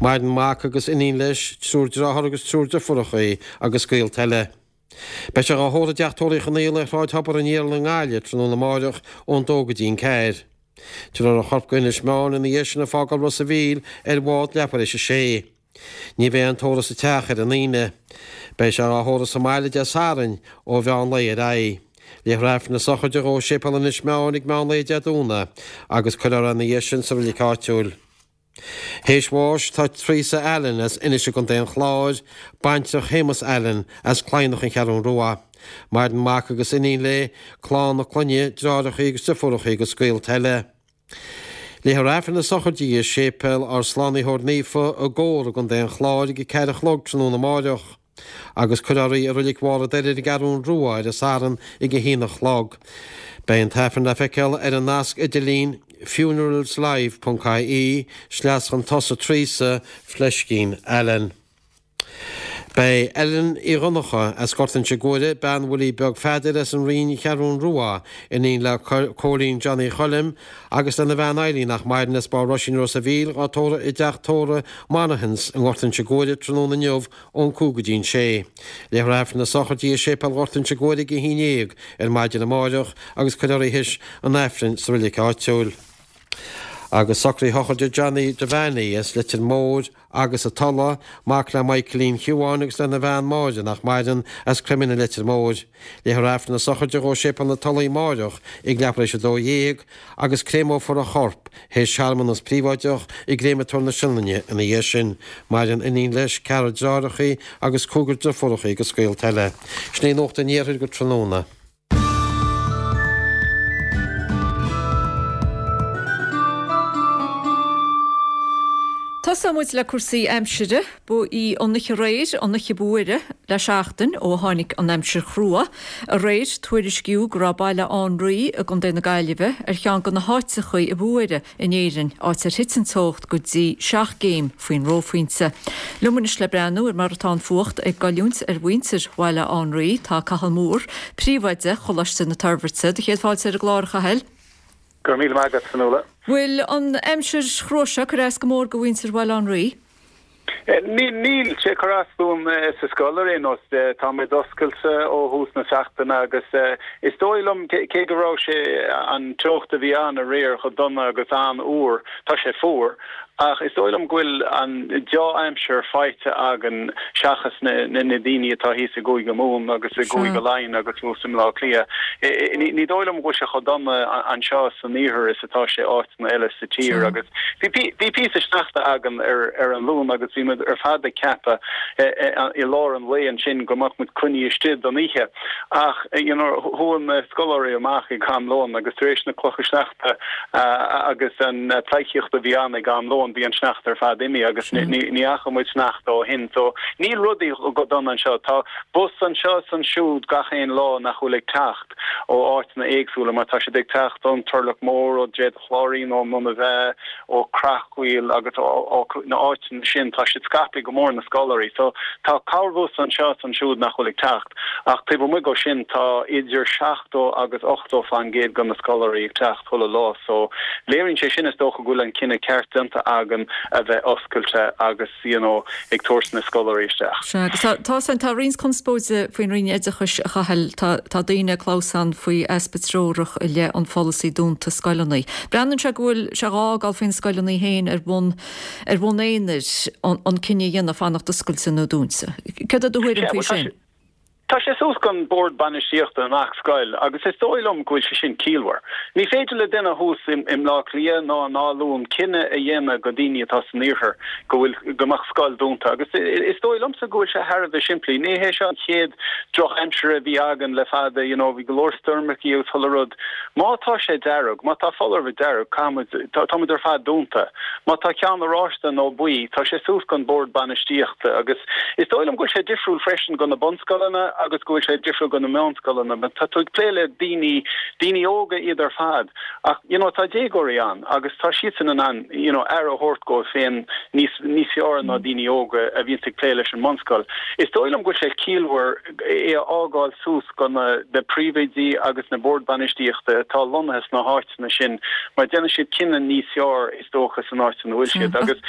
Maireann mac agus iníon leis, triúr dearthár agus triúr deirfiúracha agus gaolta eile. Beidh sé dhá thórramh i dTeach Tórraimh Uí Chonaola ar Shráid Thobar an Iarainn i nGaillimh tráthnóna amáireach ón dó go dtí an ceathair. Tabharfar a chorp go Inis Meáin ina dhiaidh sin ag fágáil Ros a' Mhíl ar bhád leathuair théis a sé. Ní bheidh aon tórramh sa teach ar an Aoine. Beidh sé dhá thórramh sa mbaile Dé Sathairn ó mheán lae ar aghaidh. Léifear Aifreann na sochraide dhó i Séipéal Inis Meáin ag meán lae Dé Domhnaigh agus cuirfear é ina dhiaidh sin sa reilig áitiúil. Théis bháis tá Teresa Allen as Inis i gContae an Chláir, baintreach Shéamus Allen as Cladhnach An Cheathrún Rua. Maireann mac agus iníon léi, clann a clainne, deartháireacha agus deirfiúracha agus gaolta eile. Léifear Aifreann na sochraide di i Séipéal ár Slánaitheoir Naofa i gCór i gContae an Chláir ag a ceathair a chlog tráthnóna amáireach agus cuirfear í i Reilig Bharr an Doire ar an gCeathrún Rua ar an Satharn ag a haon a chlog. Beidh an tAifreann le feiceáil ar an nasc idirlín funeralslive ponc ie sleas chun tosaigh Teresa Fleiscín Allen. Beidh Ellen Uí Dhonncha as Gort Inse Guaire, bean Willie Beag Pheadair as an Rinn Cheathrún Rua, iníon le Cóilín Johnny Choilm agus lena bhean Eileen nach maireann as Barr Roisín Ros a' Mhíl dhá tórramh i dteach tórraimh Monahans i nGort Inse Guaire tráthnóna inniu ón 5 go dtí an 6. Léifear Aifreann na sochraide di i Séipéal Ghort Inse Guaire ag a haon dhéag ar maidin amáireach agus cuirfear í théis an Aifrinn sa reilig áitiúil. Agus socruithe sochraide Johnny Devaney as Leitir Móir, agus an Tulaigh, mac le Michaelín Shiubháin agus lena bhean Máire, nach maireann, as Croimín i Leitir Móir. Léifear Aifreann na sochraide dhó i Séipéal na Tulaí amáireach ag leathuair théis 12 agus créamófar a chorp théis searmanas príobháideach i gCréamatóir na Sionainne ina dhiaidh sin. Maireann iníon leis, ceathrar deartháireacha agus cúigear deirfiúracha agus gaolta eile. Sin í Nuacht an Iarthair go tráthnóna. Tosóidh muid le cúrsaí aimsire. Ba í an oíche aréir an oíche ba fhuaire le seachtain ó tháinig an aimsir chrua. Aréir, tuairiscíodh go raibh Baile Átha an Rí i gContae na Gaillimhe ar cheann de na háiteachaí a ba fhuaire in Éirinn, áit ar thit an teocht go dtí 7 gcéim faoin reophointe. Liom anois le breathnú ar mar atá an fuacht ag goilliúint ar mhuintir Bhaile Átha an Rí, tá Cathal Moore, Príomhoide Choláiste na Toirbhirte. Do chéad fáilte ar an gclár, a Chathail. Go raibh míle maith agat, Fionnuala. Bhfuil an aimsir chrua seo ag cur as go mór go mhuintir Bhaile Átha an Rí? Níl sé ag cur as dúinn sa scoil ar aon nós. Táimid oscailte ó thús na seachtaine agus is dóigh liom, cé go raibh sé, an teocht a bhí ann aréir chomh dona agus an-fhuar, tá sé fuar, ach is dóigh liom go bhfuil an deá-aimsir faighte againn seachas na daoine atá thíos i gCúige Mumhan agus i gCúige Laighean agus thuas i mBleá Cliath. Ní dóigh liom go bhfuil sé chomh dona anseo san iarthar is atá sé áiteanna eile sa tír agus bhí píosa sneachta againn ar an Luan agus bhí muid ar fad ag ceapadh i lár an lae ansin go mbeadh muid coinnithe istigh don oíche ach you know chuaigh na scoláirí amach ag am lóin agus tar éis na clocha sneachta agus an pleidhcíocht a bhí ann ag am lóin bhí an sneachta ar fad imithe agus ní fhaca muid sneachta ó shin so níl rudaí go dona anseo. Tá bus anseo is ansiúd gach aon lá nach bhfuil ag teacht. ó áiteanna éagsúla mar tá siad ag teacht ón Turlach Mór, ó Droichead an Chláirín, ón mBun an Bheá, ó Creachmhaoil agus ó na áiteanna sin. Tá siad scaipthe go mór, na scoláirí. So tá corrbhus anseo is ansiúd nach bhfuil ag teacht ach taobh amuigh dhó sin tá idir 70 agus 80 fán gcéad de na scoláirí ag teacht chuile lá. So léiríonn sé sin is dócha go bhfuil an cinneadh ceart déanta againn a bheith oscailte agus you know, ag tabhairt na scoláirí isteach. Sea, agus tá, tá san, tá roinnt conspóide faoin Roinn Oideachais, a Chathail. Tá, tá daoine ag clamhsán faoi easpa treorach i leith an pholasaí dúnta scoileanna. Breathnaíonn sé go bhfuil sé dhá fhágáil faoi na scoileanna féin ar bhonn, ar bhonn aonair an, an cinneadh a dhéanamh fanacht oscailte nó dúnta. Céard é do thuairim Sea, faoi bhuel tá sin? sé, Tá sé suas don bhord bainistíochta i ngach scoil agus is dóigh liom go bhfuil sé sin ciallmhar. Ní féidir le duine thuas i mBleá Cliath ná in Áth Luain cinneadh a dhéanamh go daoine atá san iarthar go bhfuil go mbeadh scoil dúnta agus is dóigh liomsa go bhfuil sé thar a bheith simplí. Ní hé seo an chéad drochaimsir a bhí againn le fada, you know, bhí go leor stoirmeachaí agus chuile rud. Má tá sé dearg, má tá foláireamh dearg, caithfimid, táimid ar fad dúnta. Má tá ceann oráiste nó buí, tá sé suas don bhord bainistíochta agus Is dóigh liom go bhfuil sé difriúil freisin go na bunscoileanna. agus go bhfuil sé difriúil go na meánscoileanna but tá tú ag plé le daoine, daoine óga iad ar fad ach you know tá déagóirí ann agus tá siadsan in ann you know aire a thabhairt dóibh féin níos, níos fearr ná daoine óga a bhíonns ag plé leis an mbunscoil. Is dóigh liom go bhfuil sé ciallmhar é a fhágáil suas go na, na príomhoidí agus na boird bainistíochta atá lonnaithe sna háiteanna sin mar déanann siad cinneadh níos fearr is dócha san áit ina bhfuil siad agus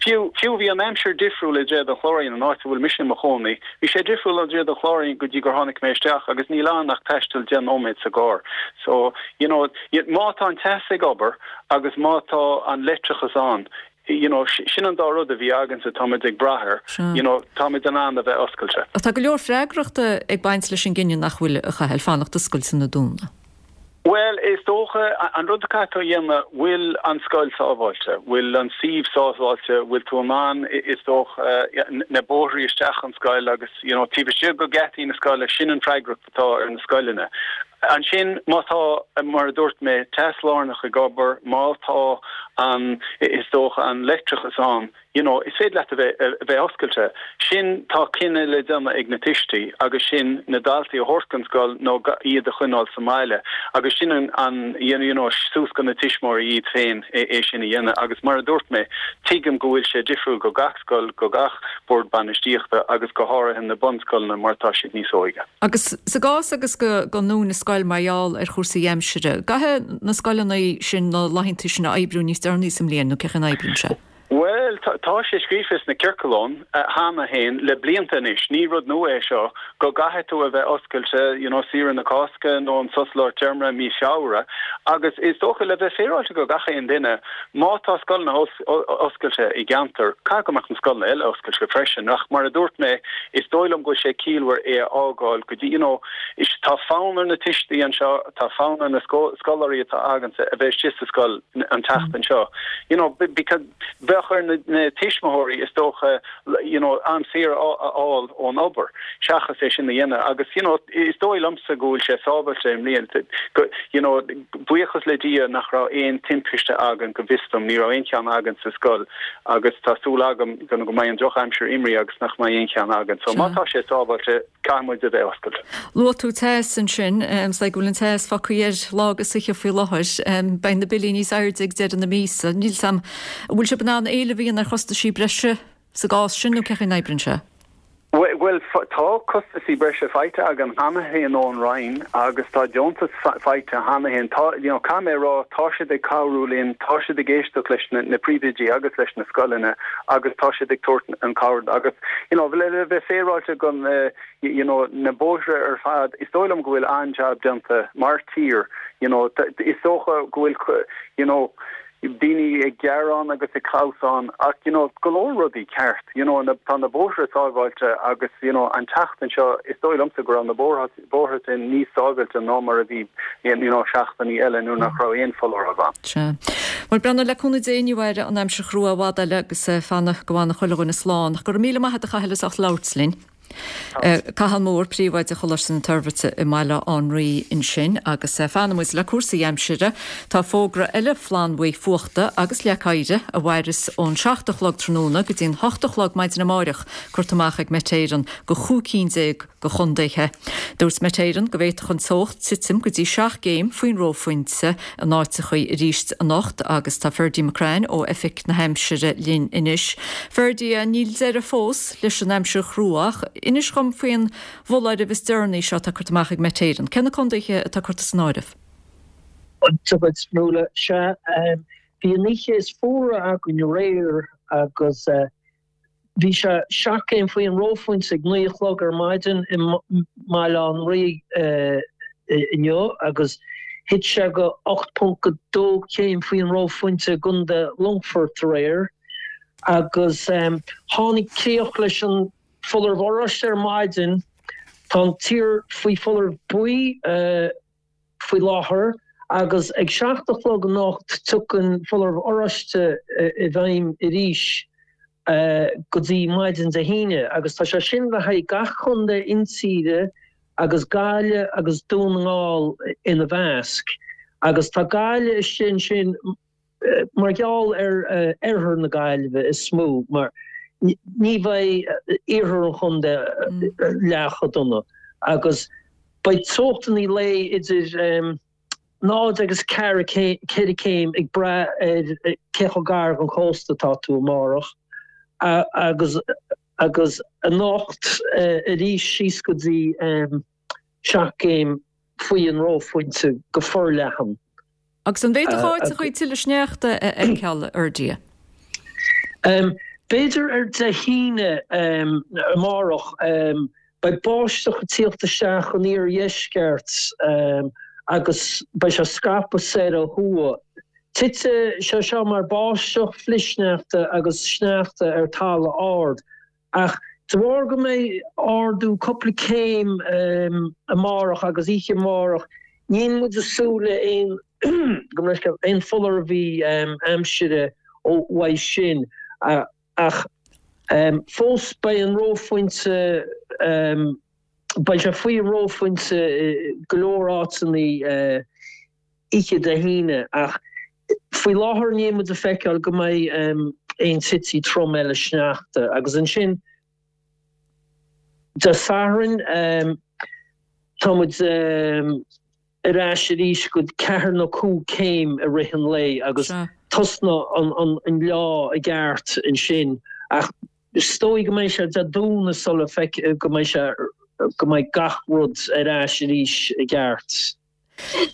Fiú, fiú bhí an aimsir difriúil i dTréad an Chláirín, an áit a bhfuil mise i mo chónaí. Bhí sé difriúil ó dTréad an Chláirín go dtí gur tháinig mé isteach agus níl ann ach taisteal 10 nóiméad sa gcarr. So, you know, má tá an teas ag obair agus má tá an leictreachas ann, you know, sin an dá rud a bhí againne, táimid ag brath air, you know, táimid in ann a bheith oscailte. Ach tá go leor freagrachta ag baint leis an gcinneadh nach bhfuil, a Chathail, fanacht oscailte nó dúnadh. Bhuel, is dócha, an rud a caithfidh tú a dhéanamh, bhfuil an scoil sábháilte? Bhfuil an suíomh sábháilte? Bhfuil tú in ann, is dócha, na bóithrí isteach an scoil agus, you know, taobh istigh de gheataí na scoile, sin an freagracht atá ar na scoileanna. Ansin, má tá, mar a dúirt mé, teas lárnach ag obair, má tá an, is dócha, an leictreachas ann, you know, is féidir leat a bheith, a bheith oscailte. Sin, tá cinneadh le déanamh ag na tuistí agus sin na daltaí a thabhairt don scoil nó iad a choinneáil sa mbaile agus sin an, an, you know, suas go na tuismitheoirí iad féin é sin a dhéanamh agus mar a dúirt mé, tuigim go bhfuil sé difriúil go gach scoil, go gach bord bainistíochta agus go háirithe na bunscoileanna mar tá siad níos óige. Agus sa gcás agus go go ndúnann scoil mar gheall ar chúrsaí aimsire, gcaithfidh na scoileanna sin na laethanta sin a oibriú níos deireanaí sa mbliain nó cén chaoi a n-oibríonn sé? Bhuel, tá sé scríofa sna ciorcláin cheana féin le blianta anois, ní rud nua é seo, go gcaithfidh tú a bheith oscailte, you know, saoire na Cásca nó an sos lár téarma i mí Feabhra. Agus is dócha, le bheith féaráilte go gach aon duine, má tá scoileanna oscailte i gceantar, caithfidh go mbeadh na scoileanna eile oscailte freisin. Ach mar a dúirt mé, is dóigh liom go bhfuil sé ciallmhar é a fhágáil go dtí, you know, tá fonn ar na tuistí anseo, tá fonn ar na scoláirí atá againne a bheith istigh sa scoil an tseachtain seo. You know, because bheadh ar na tuismitheoirí is dócha, you know, am saor a fháil ón obair seachas é sin a dhéanamh agus, you know, is dóigh liomsa go bhfuil sé sábháilte i mbliana, go, you know, buíochas le Dia nach raibh aon timpiste againn go bhfios dom, ní raibh aon cheann againn sa scoil agus tá súil agam go mbeidh an drochaimsir imithe agus nach mbeidh aon cheann againn. So má tá sé sábháilte, Caithfidh muid a bheith oscailte. Luaigh tú teas ansin. Is dóigh go bhfuil an teas fágtha air lá agus oíche faoi láthair. Beidh na billí níos airde ag deireadh na míosa. Níl 's a'm an bhfuil sibh in ann éileamh a dhéanamh ar chostaisí breise sa gcás sin nó cén chaoi a n-oibríonn sé? Bhuel, tá costaisí breise faighte againn cheana féin ón Roinn agus tá deontas faighte cheana féin. Tá, you know, caithfidh mé a rá, tá siad ag cabhrú linn, tá siad ag éisteacht leis na príomhoidí agus leis na scoileanna agus tá siad ag tabhairt an cabhair agus, you know, le bheith féaráilte go, you know, na bóithre ar fad, is dóigh liom go bhfuil an-jab déanta mar tír, you know, is dócha go bhfuil, you know, daoine ag gearán agus ag clamhsán ach, you know, go leor rudaí ceart, you know, tá na bóithre sábháilte agus, you know, an tseachtain seo is dóigh liomsa go raibh na bóithre, bóithre sin níos sábháilte ná mar a bhí you know seachtainí eile nuair nach raibh aon foláireamh ann. Sea. Bhuel, breathnú le cúnamh Dé ní mhairfidh an aimsir chrua i bhfad eile agus fanacht go bhfana chuile dhuine slán. Ach go raibh míle maith agat a Chathail as ucht labhairt linn. Cathal Moore, Príomhoide Choláiste na Toirbhirte i mBaile Átha an Rí ansin. Agus fanfaidh muid le cúrsaí aimsire. Tá fógra eile flannbhuí fuachta agus leac oighir a mhairfeas ón 7 a chlog tráthnóna go dtí an 8 a chlog maidin amáireach curtha amach ag Met Éireann go chúig cinn déag de chontaetha. Dúirt Met Éireann go bhféadfadh an teocht titim go dtí 7 gcéim faoin reophointe in áiteachaí arís anocht agus tá Ferdie McCrann ó Oifig na hAimsire linn anois. Ferdie, níl deireadh fós leis an aimsir chrua ach inis dhom faoin bhfoláireamh is deireanaí seo atá curtha amach ag Met Éireann. Cé na contaetha atá curtha san áireamh? Dia duit, Nuala. Sea, bhí an oíche is fuaire againn aréir agus Bhí sé 7 gcéim faoin reophointe ag 9 a chlog ar maidin i mBaile Átha an Rí inniu agus thit sé go 8.2 céim faoin reophointe i gContae Longfoirt aréir agus tháinig críoch leis an foláireamh oráiste ar maidin. Tá an tír faoi foláireamh buí. faoi láthair agus ag 7 a chlog anocht tiocfaidh foláireamh oráiste i bhfeidhm arís go dtí maidin Dé hAoine agus tá sé sin le haghaidh gach contae intíre agus Gaillimh agus Dún na nGall ina measc agus tá Gaillimh istigh ansin Mar gheall ar oirthear na Gaillimhe is mó, mar ní bheidh iarthar an chontae leath chomh dona. Agus beidh teochtanna lae idir 0 agus 4 céim ag brath ar cé chomh gar don chósta atá tú amárach agus agus anocht arís síos go dtí 7 gcéim faoi an reophointe go forleathan. Agus an bhféadfadh áiteachaí tuilleadh sneachta a fheiceáil, a Fheirdí? B'fhéidir ar Dé hAoine, amárach, beidh báisteach ag tíocht isteach ón iardheisceart agus beidh sé ag scaipeadh soir ó thuaidh. Titfidh sé seo mar báisteach, flichshneachta agus sneachta ar talamh ard. Ach de bharr go mbeidh ardú cúpla céim amárach agus oíche amárach, níl muid ag súil le aon gabh mo leithscéal, aon fothairbhí aimsire ó uaidh sin. Ach fós beidh an reophointe, beidh sé faoi an reophointe i go leor áiteanna oíche Dé hAoine ach faoi láthair níl muid ag feiceáil go mbeidh aon tití trom eile sneachta agus ansin Dé Sathairn tá muid ar ais arís go ceathair nó 5 céim i rith an lae agus tosnóidh an leá i gceart ansin ach is dóigh go mbeidh sé Dé Domhnaigh sula feic go mbeidh sé go mbeidh gach rud ar ais arís i gceart.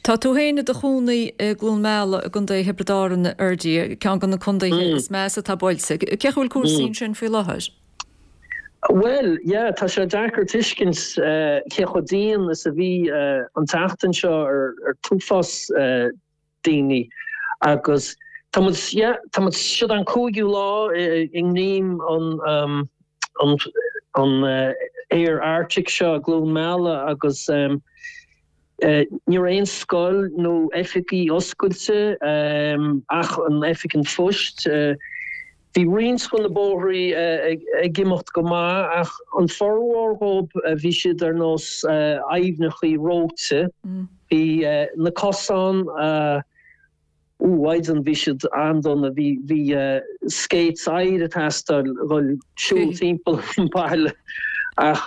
Tá tú féin i do chónaí i gCluain Meala i gContae Thiobraid Árann, a Fheirdí, ceann de na contaetha is measa atá buailte. Cén chaoi a bhfuil cúrsaí ansin faoi láthair? Bhuel, yeah, tá sé deacair tuiscint cé chomh dian is a bhí an tseachtain seo ar an t-uafás daoine agus tá muid, yeah, tá muid, siod an cúigiú lá i ngreim an an aer Arctic seo i gCluain Meala agus Ní raibh aon scoil nó oifigí oscailte ach an oifig an phoist. Bhí roinnt de na bóithrí ag imeacht go maith ach an formhór dhóibh bhí siad ar nós aibhneachaí reoite. Bhí na cosáin, ó mhaighdean bhí siad an-dona, bhí bhí skates oighir ag teastáil dhul siúl timpeall an baile ach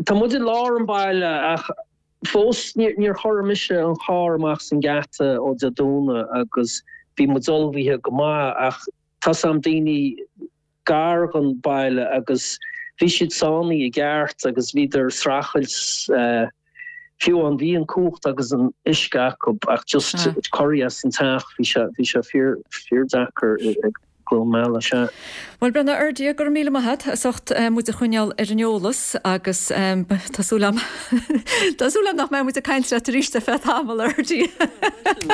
Tá muid i lár an bhaile ach fós níor chuir mise an carr amach as an geata ó Dé Domhnaigh agus bhí muid ullmhaithe go maith ach tá's a'm daoine gar dhon baile agus bhí siad sáinnithe i gceart agus bhíodar ag streachailt fiú amháin bhí an cumhacht agus an uisce acu ach just corraí as an teach bhí sé bhí sé fíor fíor deacair i gCluain Meala, sea. Bhuel, Brenna, a Fheirdí, go raibh míle maith agat as ucht muid a choinneáil ar an eolas agus tá súil agam tá súil agam nach mbeidh muid ag caint leat arís ar feadh tamaill, a Fheirdí.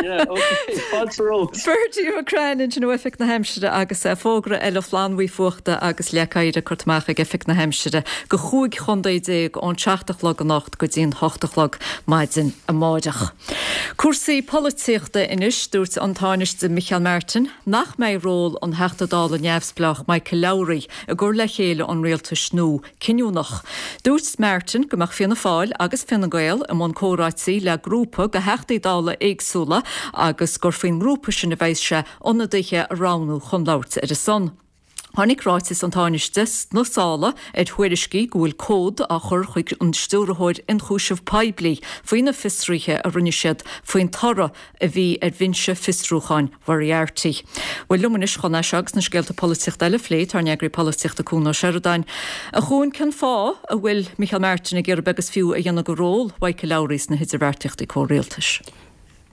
Yeah, ok, fáilte romhat. Ferdia McCrann ansin ó Oifig na hAimsire agus fógra eile flannbhuí fuachta agus leac oighir curtha amach ag Oifig na hAimsire go chúig chontae déag ón seacht a chlog anocht go dtí'n hocht a chlog maidin amáireach. Cúrsaí polaitíochta anois, dúirt an Tánaiste Micheál Martin nach mbeidh ról an Theachta Dála neamhspleách Michael Lowry i gcur le chéile an rialtais nua cinniúnach. Dúirt Martin go mbeadh Fianna Fáil agus Fine Gael i mbun comhráití le grúpa de Theachtaí Dála éagsúla agus gur faoin ngrúpa sin a bheas sé ionadaithe a roghnú chun labhairt ar a son. Tháinig ráiteas an Tánaiste sna sála ar thuairiscí go bhfuil comhad á chur chuig an Stiúrthóir Ionchúiseamh Poiblí faoi na fiosruithe a rinne siad faoin toradh a bhí ar bhinse fiosrúcháin Mhoriarty. Bhuel, liom anois chun é seo agus na scéalta polaitíochta eile a phlé, tá ár n-eagraí polaitíochta Cuan Ó Seireadáin. A Chuain, cén fáth a bhfuil Micheál Martin ag iarraidh beag is fiú a dhéanamh de ról Mhichael Lowry sna hidirbheartaíochtaí comhrialtais?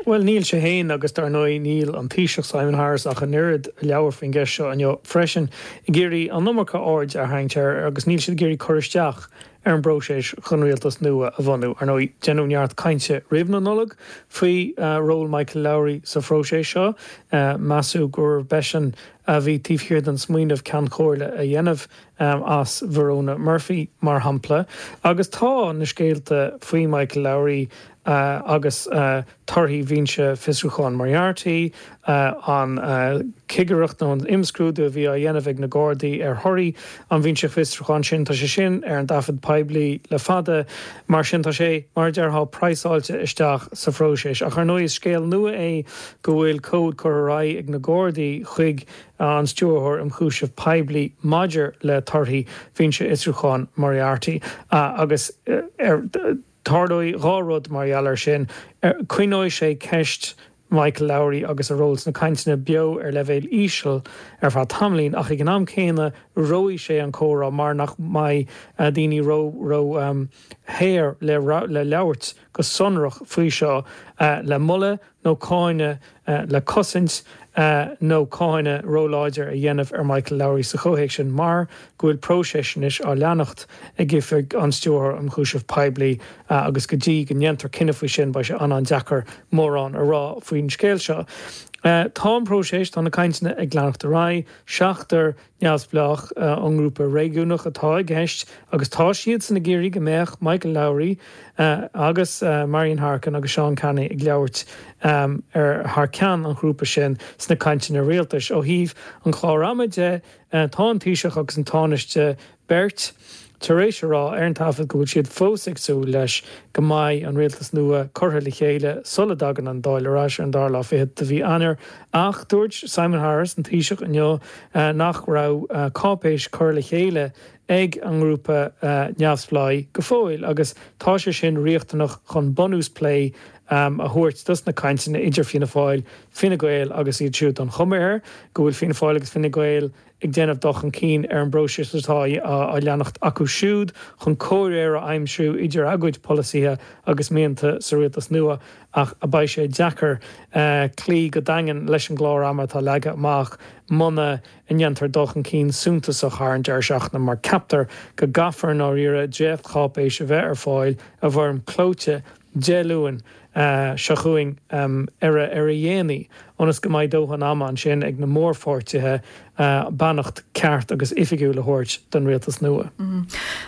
Bhuel, níl sé féin agus dar ndóigh níl an Taoiseach Simon Harris ach an oiread a labhair faoin gceist seo inniu freisin, ag iarraidh an iomarca aird a tharraingt air agus níl siad ag iarraidh cur isteach ar an bpróiseas chun rialtas nua a bhunú. Ar ndóigh, deineadh neart cainte roimh na Nollag faoi ról Michael Lowry sa phróiseas seo. Measadh gurbh eisean a bhí taobh thiar den smaoineamh Ceann Comhairle a dhéanamh as Verona Murphy, mar shampla. Agus tá na scéalta faoi Michael Lowry agus torthaí Bhinse Fiosrúcháin Moriarty, an chigireacht nó an imscrúdú a bhí á dhéanamh ag na Gardaí ar thorthaí an Bhinse Fiosrúcháin sin, tá sé sin ar an dtaifead poiblí le fada. Mar sin, tá sé, mar a déarfá, praghsáilte isteach sa phróiseas. Ach ar ndóigh, is scéal nua é go bhfuil comhad curtha ar aghaidh ag na Gardaí chuig. an Stiúrthóir um Chúiseamh Poiblí maidir le torthaí Bhinse Fhiosrúcháin Moriarty agus tarlóidh 2 rud mar gheall air sin, coinneoidh sé ceist Michael Lowry agus a ról sna cainteanna beo ar leibhéal íseal ar feadh tamaillín ach ag an am céanna reofaidh sé an comhrá mar nach mbeidh daoine ró ró shaor le le labhairt go sonrach faoi seo le moladh nó cáineadh le cosaint nó cáineadh róláidir a dhéanamh ar Michael Lowry sa chomhthéacs sin mar go bhfuil próiseas anois á leanacht ag Oifig an Stiúrthóra um Chúiseamh Poiblí agus go dtí go ndéantar cinneadh faoi sin beidh sé an-an-deacair mórán a rá faoin scéal seo. Tá an próiseas, tá na cainteanna ag leanacht ar aghaidh, seachtar neamhspleách ón ngrúpa réigiúnach atá i gceist agus tá siadsan ag iarraidh go mbeadh Michael Lowry agus Marian Harkin agus Seán Canney ag labhairt ar thar ceann an ghrúpa sin sna cainteanna rialtais. Ó thaobh an chláir ama de, tá an Taoiseach agus an Tánaiste beirt tar éis a rá ar an taifead go bhfuil siad fós ag súil leis go mbeidh an rialtas nua curtha le chéile sula dtagann an Dáil ar ais ar an dara lá fichead de mhí Eanáir ach dúirt Simon Harris, an Taoiseach, inniu nach raibh cáipéis curtha le chéile ag an ngrúpa neamhspleách go fóill agus tá sé sin riachtanach chun bunús plé a thabhairt dos na cainteanna idir Fianna Fáil, Fine Gael agus iad siúd. Tá an chuma air go bhfuil Fianna Fáil agus Fine Gael ag déanamh dul chun cinn ar an bpróiseas atá á leanacht acu siúd chun comhréir a aimsiú idir a gcuid polasaithe agus mianta sa rialtas nua ach beidh sé deacair cloí go daingean leis an gclár ama atá leagtha amach muna ndéantar dul chun cinn suntasach thar an deireadh seachtaine mar ceaptar go gcaithfear i ndáiríre dréachtcháipéis a bheith ar fáil i bhfoirm clóite Dé Luain seo chugainn ar a dhéanaí, ionas go mbeidh dóthain ama ansin ag na mórpháirtithe beannacht ceart agus oifigiúil a thabhairt don rialtas nua.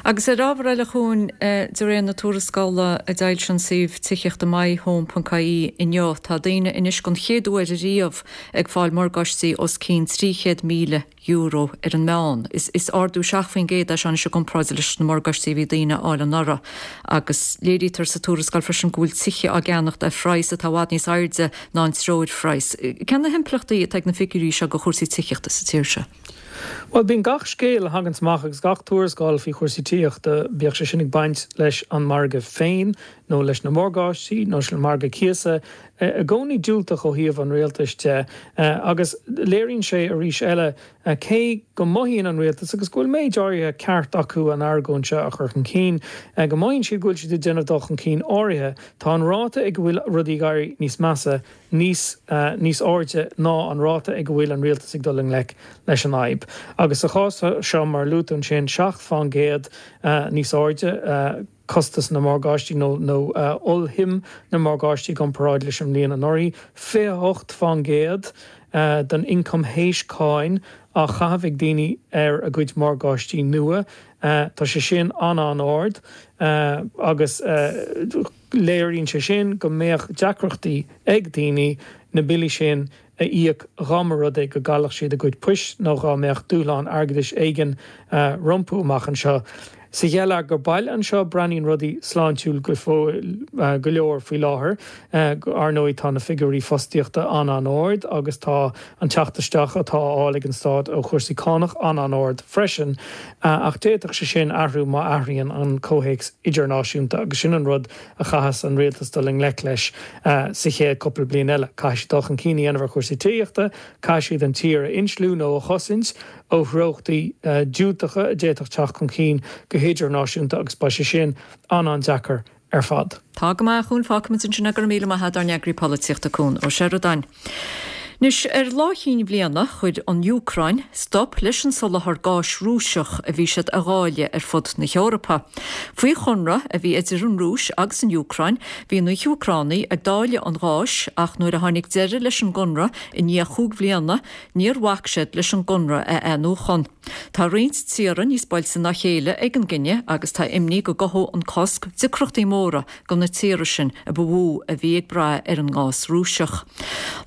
Agus ar ábhar eile a Chuain, de réir na tuarascála a d'fhoilsigh an suíomh tithíochta myhome.ie inniu, tá daoine anois den chéad uair ariamh ag fáil morgáistí os cionn €300,000. euro ar an meán. Is ardú 7% é seo anois i gcomparáid leis na morgáistí a bhí daoine a fháil anuraidh. Agus léirítear sa tuarascáil freisin go bhfuil tithe á gceannacht ar phraghas atá i bhfad níos airde ná an treoirphraghas. Cé na himpleachtaí atá ag na figiúirí seo do chúrsaí tithíochta sa tír seo? Bhuel, bíonn gach scéal a thaganns amach agus gach tuarascáil faoi chúrsaí tithíochta, bíodh sé sin ag baint leis an margadh féin nó leis na morgáistí nó leis an margadh cíosa, i gcónaí diúltach ó thaobh an rialtais de agus léiríonn sé arís eile cé go mothaíonn an rialtas, agus go bhfuil méid áirithe ceart acu an argóint seo a chur chun cinn, go mothaíonn siad go bhfuil siad ag déanamh dul chun cinn áirithe, tá an ráta ag a bhfuil rudaí ag éirí níos measa níos níos airde ná an ráta ag a bhfuil an rialtas ag dul i ngleic leis an fhadhb. Agus sa chás seo, mar a luaigh tú ansin, 7 fán gcéad níos airde, costas na morgáistí nó nó ollshuim na morgáistí i gcomparáid leis an mbliain anuraidh, 28 fán gcéad den ioncam théis cáin á chaitheamh ag daoine ar a gcuid morgáistí nua. Tá sé sin an-an-ard agus léiríonn sé sin go mbeadh deacrachtaí ag daoine na billí sin a íoc dhá mba rud é go gcaillfeadh siad a gcuid poist nó dhá mbeadh dúshlán airgeadais éigin rompu amach anseo. Sa gheilleagar baile anseo, breathnaíonn rudaí sláintiúil go fóill go leor faoi láthair. Ar ndóigh, tá na figiúirí fostaíochta an-an-ard agus tá an teacht isteach atá á fháil ag an stát ó chúrsaí cánach an-an-ard freisin. Ach d'fhéadfadh sé sin athrú má athraíonn an comhthéacs idirnáisiúnta agus sin an rud a chaithfeas an rialtas dul i ngleic leis sa chéad cúpla bliain eile. Caithfidh siad dul chun cinn a dhéanamh ar chúrsaí tithíochta, caithfidh siad an tír a insliú nó a chosaint ó threochtaí diúltacha a d'fhéadfadh teacht chun cinn go hidirnáisiúnta agus beidh sé sin an-an-deacair ar fad. Tá go maith, a Chuain, fágfaimid ansin é, go raibh míle maith agat, ár n-eagraí polaitíochta, Cuan Ó Seireadáin. Anois, ar lá Chinn Bhliana, chuir an Úcráin stop leis an soláthar gáis Rúiseach a bhí siad a dháileadh ar fud na hEorpa. Faoi chonradh a bhí idir an Rúis agus an Úcráin, bhí na hÚcránaigh ag dáileadh an gháis ach nuair a tháinig deireadh leis an gconradh i ndiaidh chúig bhliana, níor bhac siad leis an gconradh a athnuachan. Tá roinnt tíortha níos buailte ná a chéile ag an gcinneadh agus tá imní go gcothódh an cosc deacrachtaí móra do na tíortha sin a ba mhó a bhí ag brath ar an ngás Rúiseach.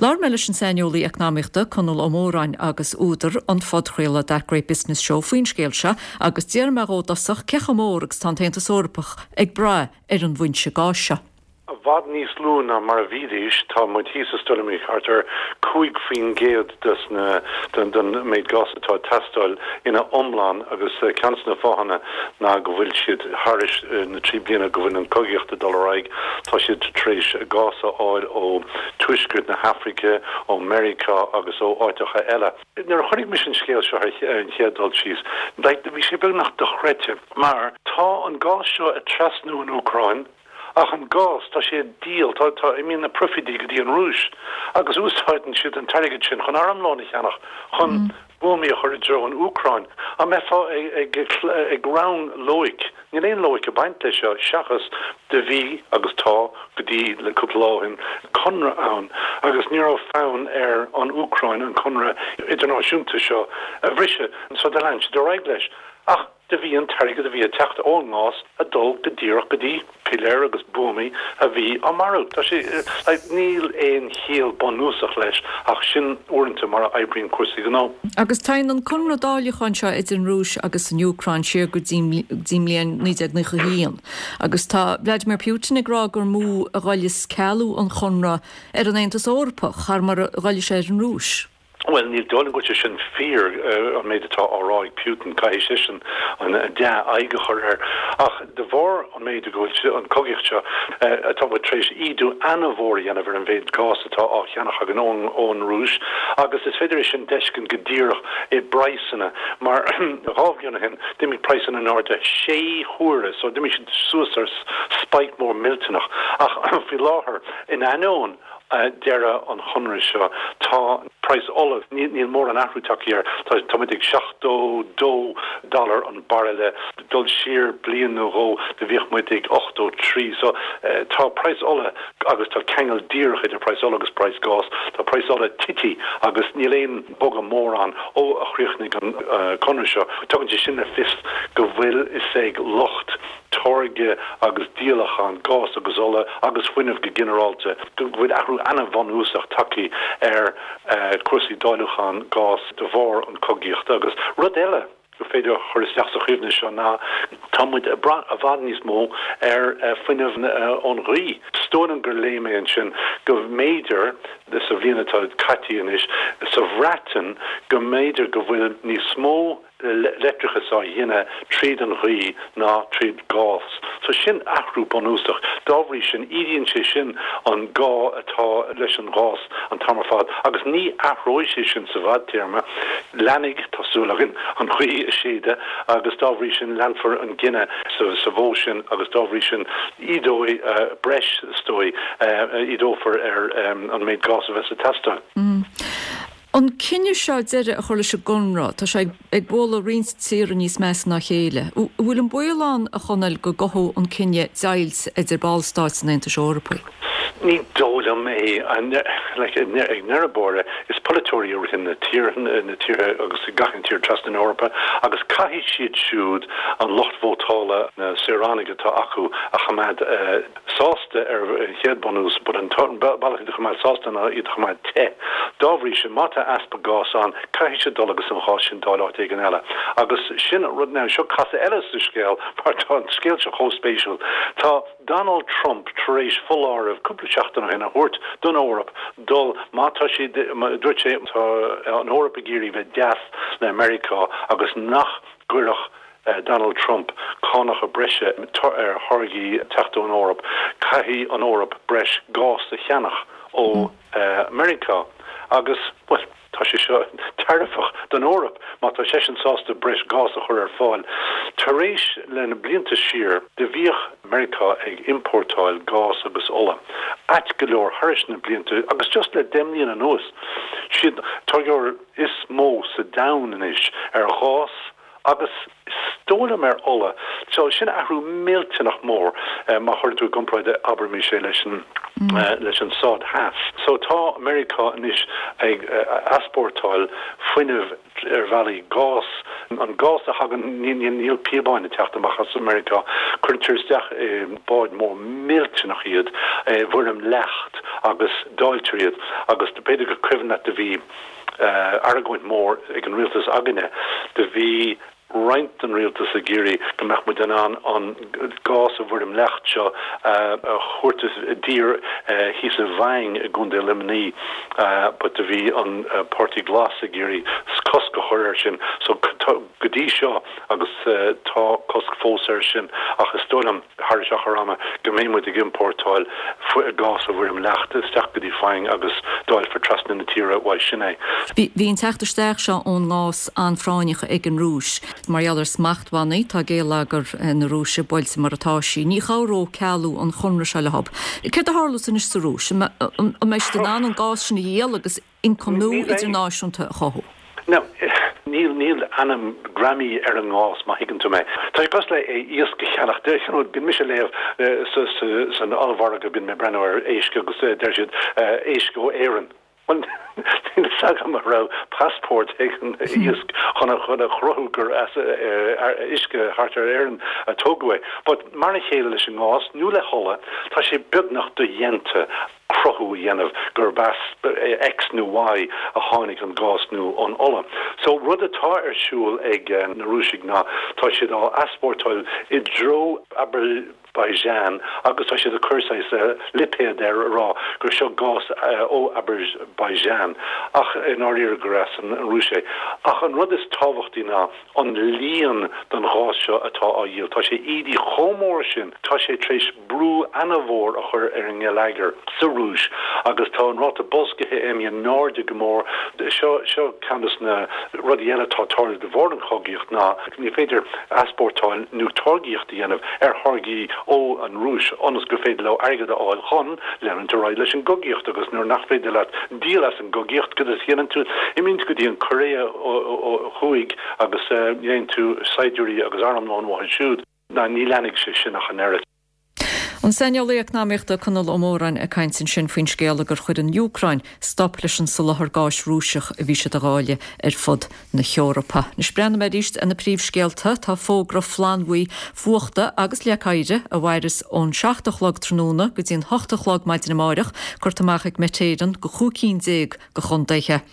Labhair mé leis an saineolaí eacnamaíochta Conall Ó Móráin agus údar an phodchraoladh That Great Business Show faoin scéal seo agus d'iarr mé dhó i dtosach cé chomh mór agus tá an tAontas Eorpach ag brath ar an bhfoinse gáis seo. I bhfad níos lú ná mar a bhídís, tá muid thíos is dóigh liom thart ar 5% des na, den méid gás atá ag teastáil ina iomlán agus ceann des na fáthanna ná go bhfuil siad thairis na 3 bliana go bhfuil an cogaíocht ag dul ar aghaidh, tá siad tar éis gás a fháil ó tuaisceart na hAfraice, ó Meiriceá agus ó áiteacha eile. Nuair a chonaic mise an scéal seo ar an chéad dul síos, bhí sé beagnach dochreidte mar tá an gás seo ag trasnú an Úcráin, Ach an gás, tá sé á dhíol, tá, tá, imíonn na proifidí go dtí an Rúis agus úsáideann siad an t-airgead sin chun armlón a cheannach, chun buamaí a chur i dtreo an Úcráin. An mbeifeá ag, ag, ag rang loighic? Níl aon loighic ag baint leis seo seachas do bhí agus tá, go dtí le cúpla lá ó shin, conradh ann agus ní raibh fonn ar an Úcráin an conradh idirnáisiúnta seo a bhriseadh so do lean siad ar aghaidh leis. Ach. Do bhí an t-airgead a bhí ag teacht ón ngás ag dul go díreach go dtí piléir agus buamaí a bhí á marú. Tá sé, like, níl aon chiall bunúsach leis ach sin uaireanta mar a oibríonn cúrsaí gnó. Agus téann an conradh dáileacháin seo idir an Rúis agus an Úcráin siar go dtí an mbliain 1991 agus tá Vladimir Putin ag rá gur mó a ghoilleas cealú an chonradh ar an Aontas Eorpach thar mar a ghoillfidh sé ar an Rúis. Bhuel, ní dóigh liom go bhfuil sé sin fíor, an méid atá á rá ag Putin. Caithfidh seisean an dea-aghaidh a chur air. Ach de bharr an méid go bhfuil an cogaíocht seo, tá muid tar éis ídiú an-mhór a dhéanamh ar an mhéid gás atá á cheannach againn ón Rúis agus is féidir é sin d'fheiscint go díreach i bpraghsanna mar dhá bhliain ó shin d'imigh praghsanna in airde sé huaire so d'imigh siad suas ar spike mór millteanach ach faoi láthair in ainneoin deireadh an chonradh seo. Tá praghas ola, níl mórán athrú tagtha air, tá muid ag 72 dollar an bairille, dul siar bliain nó dhó do bhíodh muid ag 83. So tá praghas ola, agus tá ceangal díreach idir praghas ola agus praghas gás, tá praghas ola tite agus níl aon bogadh mór ann ó a chríochnaigh an conradh seo. Tugann sé sin le fios go bhfuil fhios ag lucht táirge agus díolachán gás agus ola agus fuinnimh go ginearálta, go bhfuil athrú an-bhunúsach tagtha ar chúrsaí dáiliúcháin gás de bharr an chogaíochta. Agus rud eile gur féidir a chur isteach sa chuimhne seo ná tá muid ag brath i bhfad níos mó ar fuinneamh ón ghaoth. Is dóigh liom gur léigh mé ansin go mb'fhéidir, sa bhliain atá caite anois, sa Bhreatain, go mb'fhéidir go bhfuil níos mó leictreachas á ghineadh tríd an ghaoth ná tríd gás. So sin athrú bunúsach. Dá bhrí sin, ídíonn sé sin an gá atá leis an ghás an t-am ar fad agus ní athróidh sé sin sa bhfadtéarma. Leanfaidh, tá súil againn, an ghaoth ag séideadh agus dá bhrí sin leanfar an gineadh sa mhodh sin agus dá bhrí sin ídeoidh breis, is dóigh, ídeofar ar an méid gás a bheas ag teastáil. An cinneadh seo deireadh a chur leis an gconradh, tá sé ag bualadh roinnt tíortha níos measa ná a chéile. An bhfuil an baol ann, a Chonaill, go gcothódh an cinneadh deighilt idir ballstáit an Aontais Eorpaigh? Ní dóigh liom é. Ag deireadh báire, is polaiteoirí a ritheann na tíortha, na tíortha agus gach aon tír trasna na hEorpa agus caithfidh siad siúd an lucht vótála, na saoránaigh atá acu a choimeád. sásta ar an chéad bunús, but an bealach iad a choimeád sásta ná iad a choimeád te. Dá bhrí sin, má tá easpa gás ann, caithfidh siad dul agus an gás sin d'fháil áit éigin eile. Agus sin rud, now seo casadh eile sa scéal, mar tá an scéal seo chomh spéisiúil. Tá Donald Trump tar éis foláireamh cúpla seachtain ó shin a thabhairt don Eoraip dul, má tá siad, dúirt sé, tá an Eoraip ag iarraidh bheith deas le Meiriceá agus nach gcuirfeadh Donald Trump cánacha breise ar tháirgí ag teacht ón Eoraip, caithfidh an Eoraip breis gás a cheannach ó Meiriceá agus, bhuel, tá sé seo tairbheach don Eoraip má tá seisean sásta breis gás a chur ar fáil. Tar éis le na blianta siar, do bhíodh Meiriceá ag iompórtáil gás agus ola ait go leor thairis na blianta agus just le deich mbliana anuas, siad táirgeoir is mó sa domhan anois ar ghás, agus is dóigh liom ar ola. So sin athrú millteanach mór má chuireann tú i gcomparáid abraimis é leis an leis an Stát Theas. So tá Meiriceá anois ag easpórtáil fuinnimh ar bhealaí gás, an gás a thagann, níl píobáin ag teacht amach as Meiriceá, cuirtear isteach i báid mór millteanach iad i bhfoirm leacht agus dáiltear iad agus b'fhéidir gur cuimhin leat do bhí argóint mór ag an rialtas againne. Do bhí. roinnt den rialtas ag iarraidh go mbeadh muid in ann an gás i bhfoirm leacht seo a thabhairt i dtír thíos i bhFaing i gContae Luimnigh but do bhí an Páirtí Glas ag iarraidh cosc a chur air sin so go dtí seo agus tá cosc fós air sin ach is dóigh liom thar achar ama go mbeidh muid ag iompórtáil gás i bhfoirm leacht isteach go dtí Faing agus dáilfear trasna na tíre uaidh sin é. Bhí an teacht isteach seo ón ngás an-phráinneach ag an Rúis. Mar gheall ar smachtbhannaí, tá géilleagar na Rúise buailte mar atá sí. Ní chabhródh cealú an chonradh seo leo. Céard a tharlós anois sa Rúis? An mbeidh siad in ann an gás sin a dhíol agus ioncam nua idirnáisiúnta a chothú. Now, níl, níl ainm greamaithe ar an ngás, má thuigeann tú mé. Tá sé cosúil le iasc a cheannach. Deir, you know, bíonn mise ag léamh sa, sa, san ollmhargadh, bíonn mé ag breathnú ar éisc agus deir siad éisc ó Éirinn. Bhuel, níl fhios agam an raibh passport ag an iasc chun a, chun a chruthú gur as uisce thart ar Éirinn a tógadh é. But mar a chéile leis an ngás, nó le hola, tá sé beagnach dodhéanta cruthú a dhéanamh gurb as X nó Y a tháinig an gás nó an ola. So rud atá ar siúl ag na Rúisigh ná tá siad á easpórtáil i dtreo Azerbaijan agus tá siad ag cur saghas lipéad air a rá gur seo gás ó Azerbaijan ach i ndáiríre gur as an Rúis é. Ach an rud is tábhachtaí ná an líon den ghás seo atá á dhíol, tá sé ídithe chomh mór sin, tá sé tar éis brú ana-mhór a chur ar an ngeilleagar sa Rúis agus tá an ráta boilscithe imithe in airde go mór. Seo, seo ceann de na rudaí eile atá ag tarlú de bharr an chogaíocht ná ní féidir easpórtáil nó táirgíocht a dhéanamh ar tháirgí ó an Rúis ionas gur féidir leo airgead a fháil chun leanúint ar aghaidh leis an gcogaíocht agus nuair nach féidir leat díol as an gcogaíocht cad a dhéanann tú? Imíonn tú go dtí an Choiréa Thuaidh agus déanann tú saighdiúirí agus armlón uathu siúd. Ná ní leanfaidh sé sin ach an oiread. An saineolaí eacnamaíochta Conall Ó Móráin ag caint ansin faoin scéala gur chuir an Úcráin stop leis an soláthar gáis Rúiseach a bhí siad a dháileadh ar fud na hEorpa. Anois breathnóidh mé arís ar na príomhscéalta. Tá fógra flannbhuí fuachta agus leac oighre a mhairfeas ón 7 a chlog tráthnóna go dtí an 8 a chlog maidin amáireach curtha amach ag Met Éireann go chúig cinn déag de chontaetha.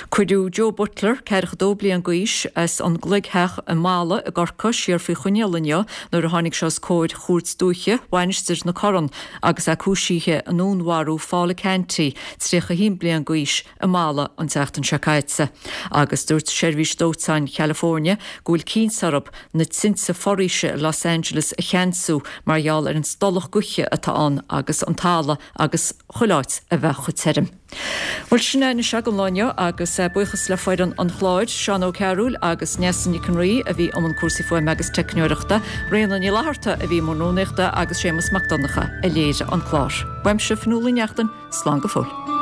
Cuireadh Joe Butler, 42 bliain d'aois, as an gCloigtheach i Mala i gCorcaigh, siar faoi choinneáil inniu nuair a tháinig sé os comhair Chúirt Dúiche Mhainistir na Corann agus é cúisithe i ndúnmharú Phaula Canty, 31 bliain d'aois, i Mala an tseachtain seo caite. Agus dúirt Seirbhís Dóiteáin Chalifornia go bhfuil cinnt orthu na tinte foraoise i Los Angeles a cheansú mar gheall ar an stolladh gaoithe atá ann agus an talamh agus chuile áit a bheith chomh tirim. Bhuel, sin é anois don lá inniu agus buíochas le foireann an chláir, Seán Ó Cearúil agus Neasa Nic an Rí a bhí i mbun cúrsaí fuaime agus teicneoireachta, Ríona Ní Fhlatharta a bhí i mbun rúnaíochta agus Séamus Mac Donncha a léirigh an clár. Uaimse, Fionnuala Ní Neachtain, slán go fóill.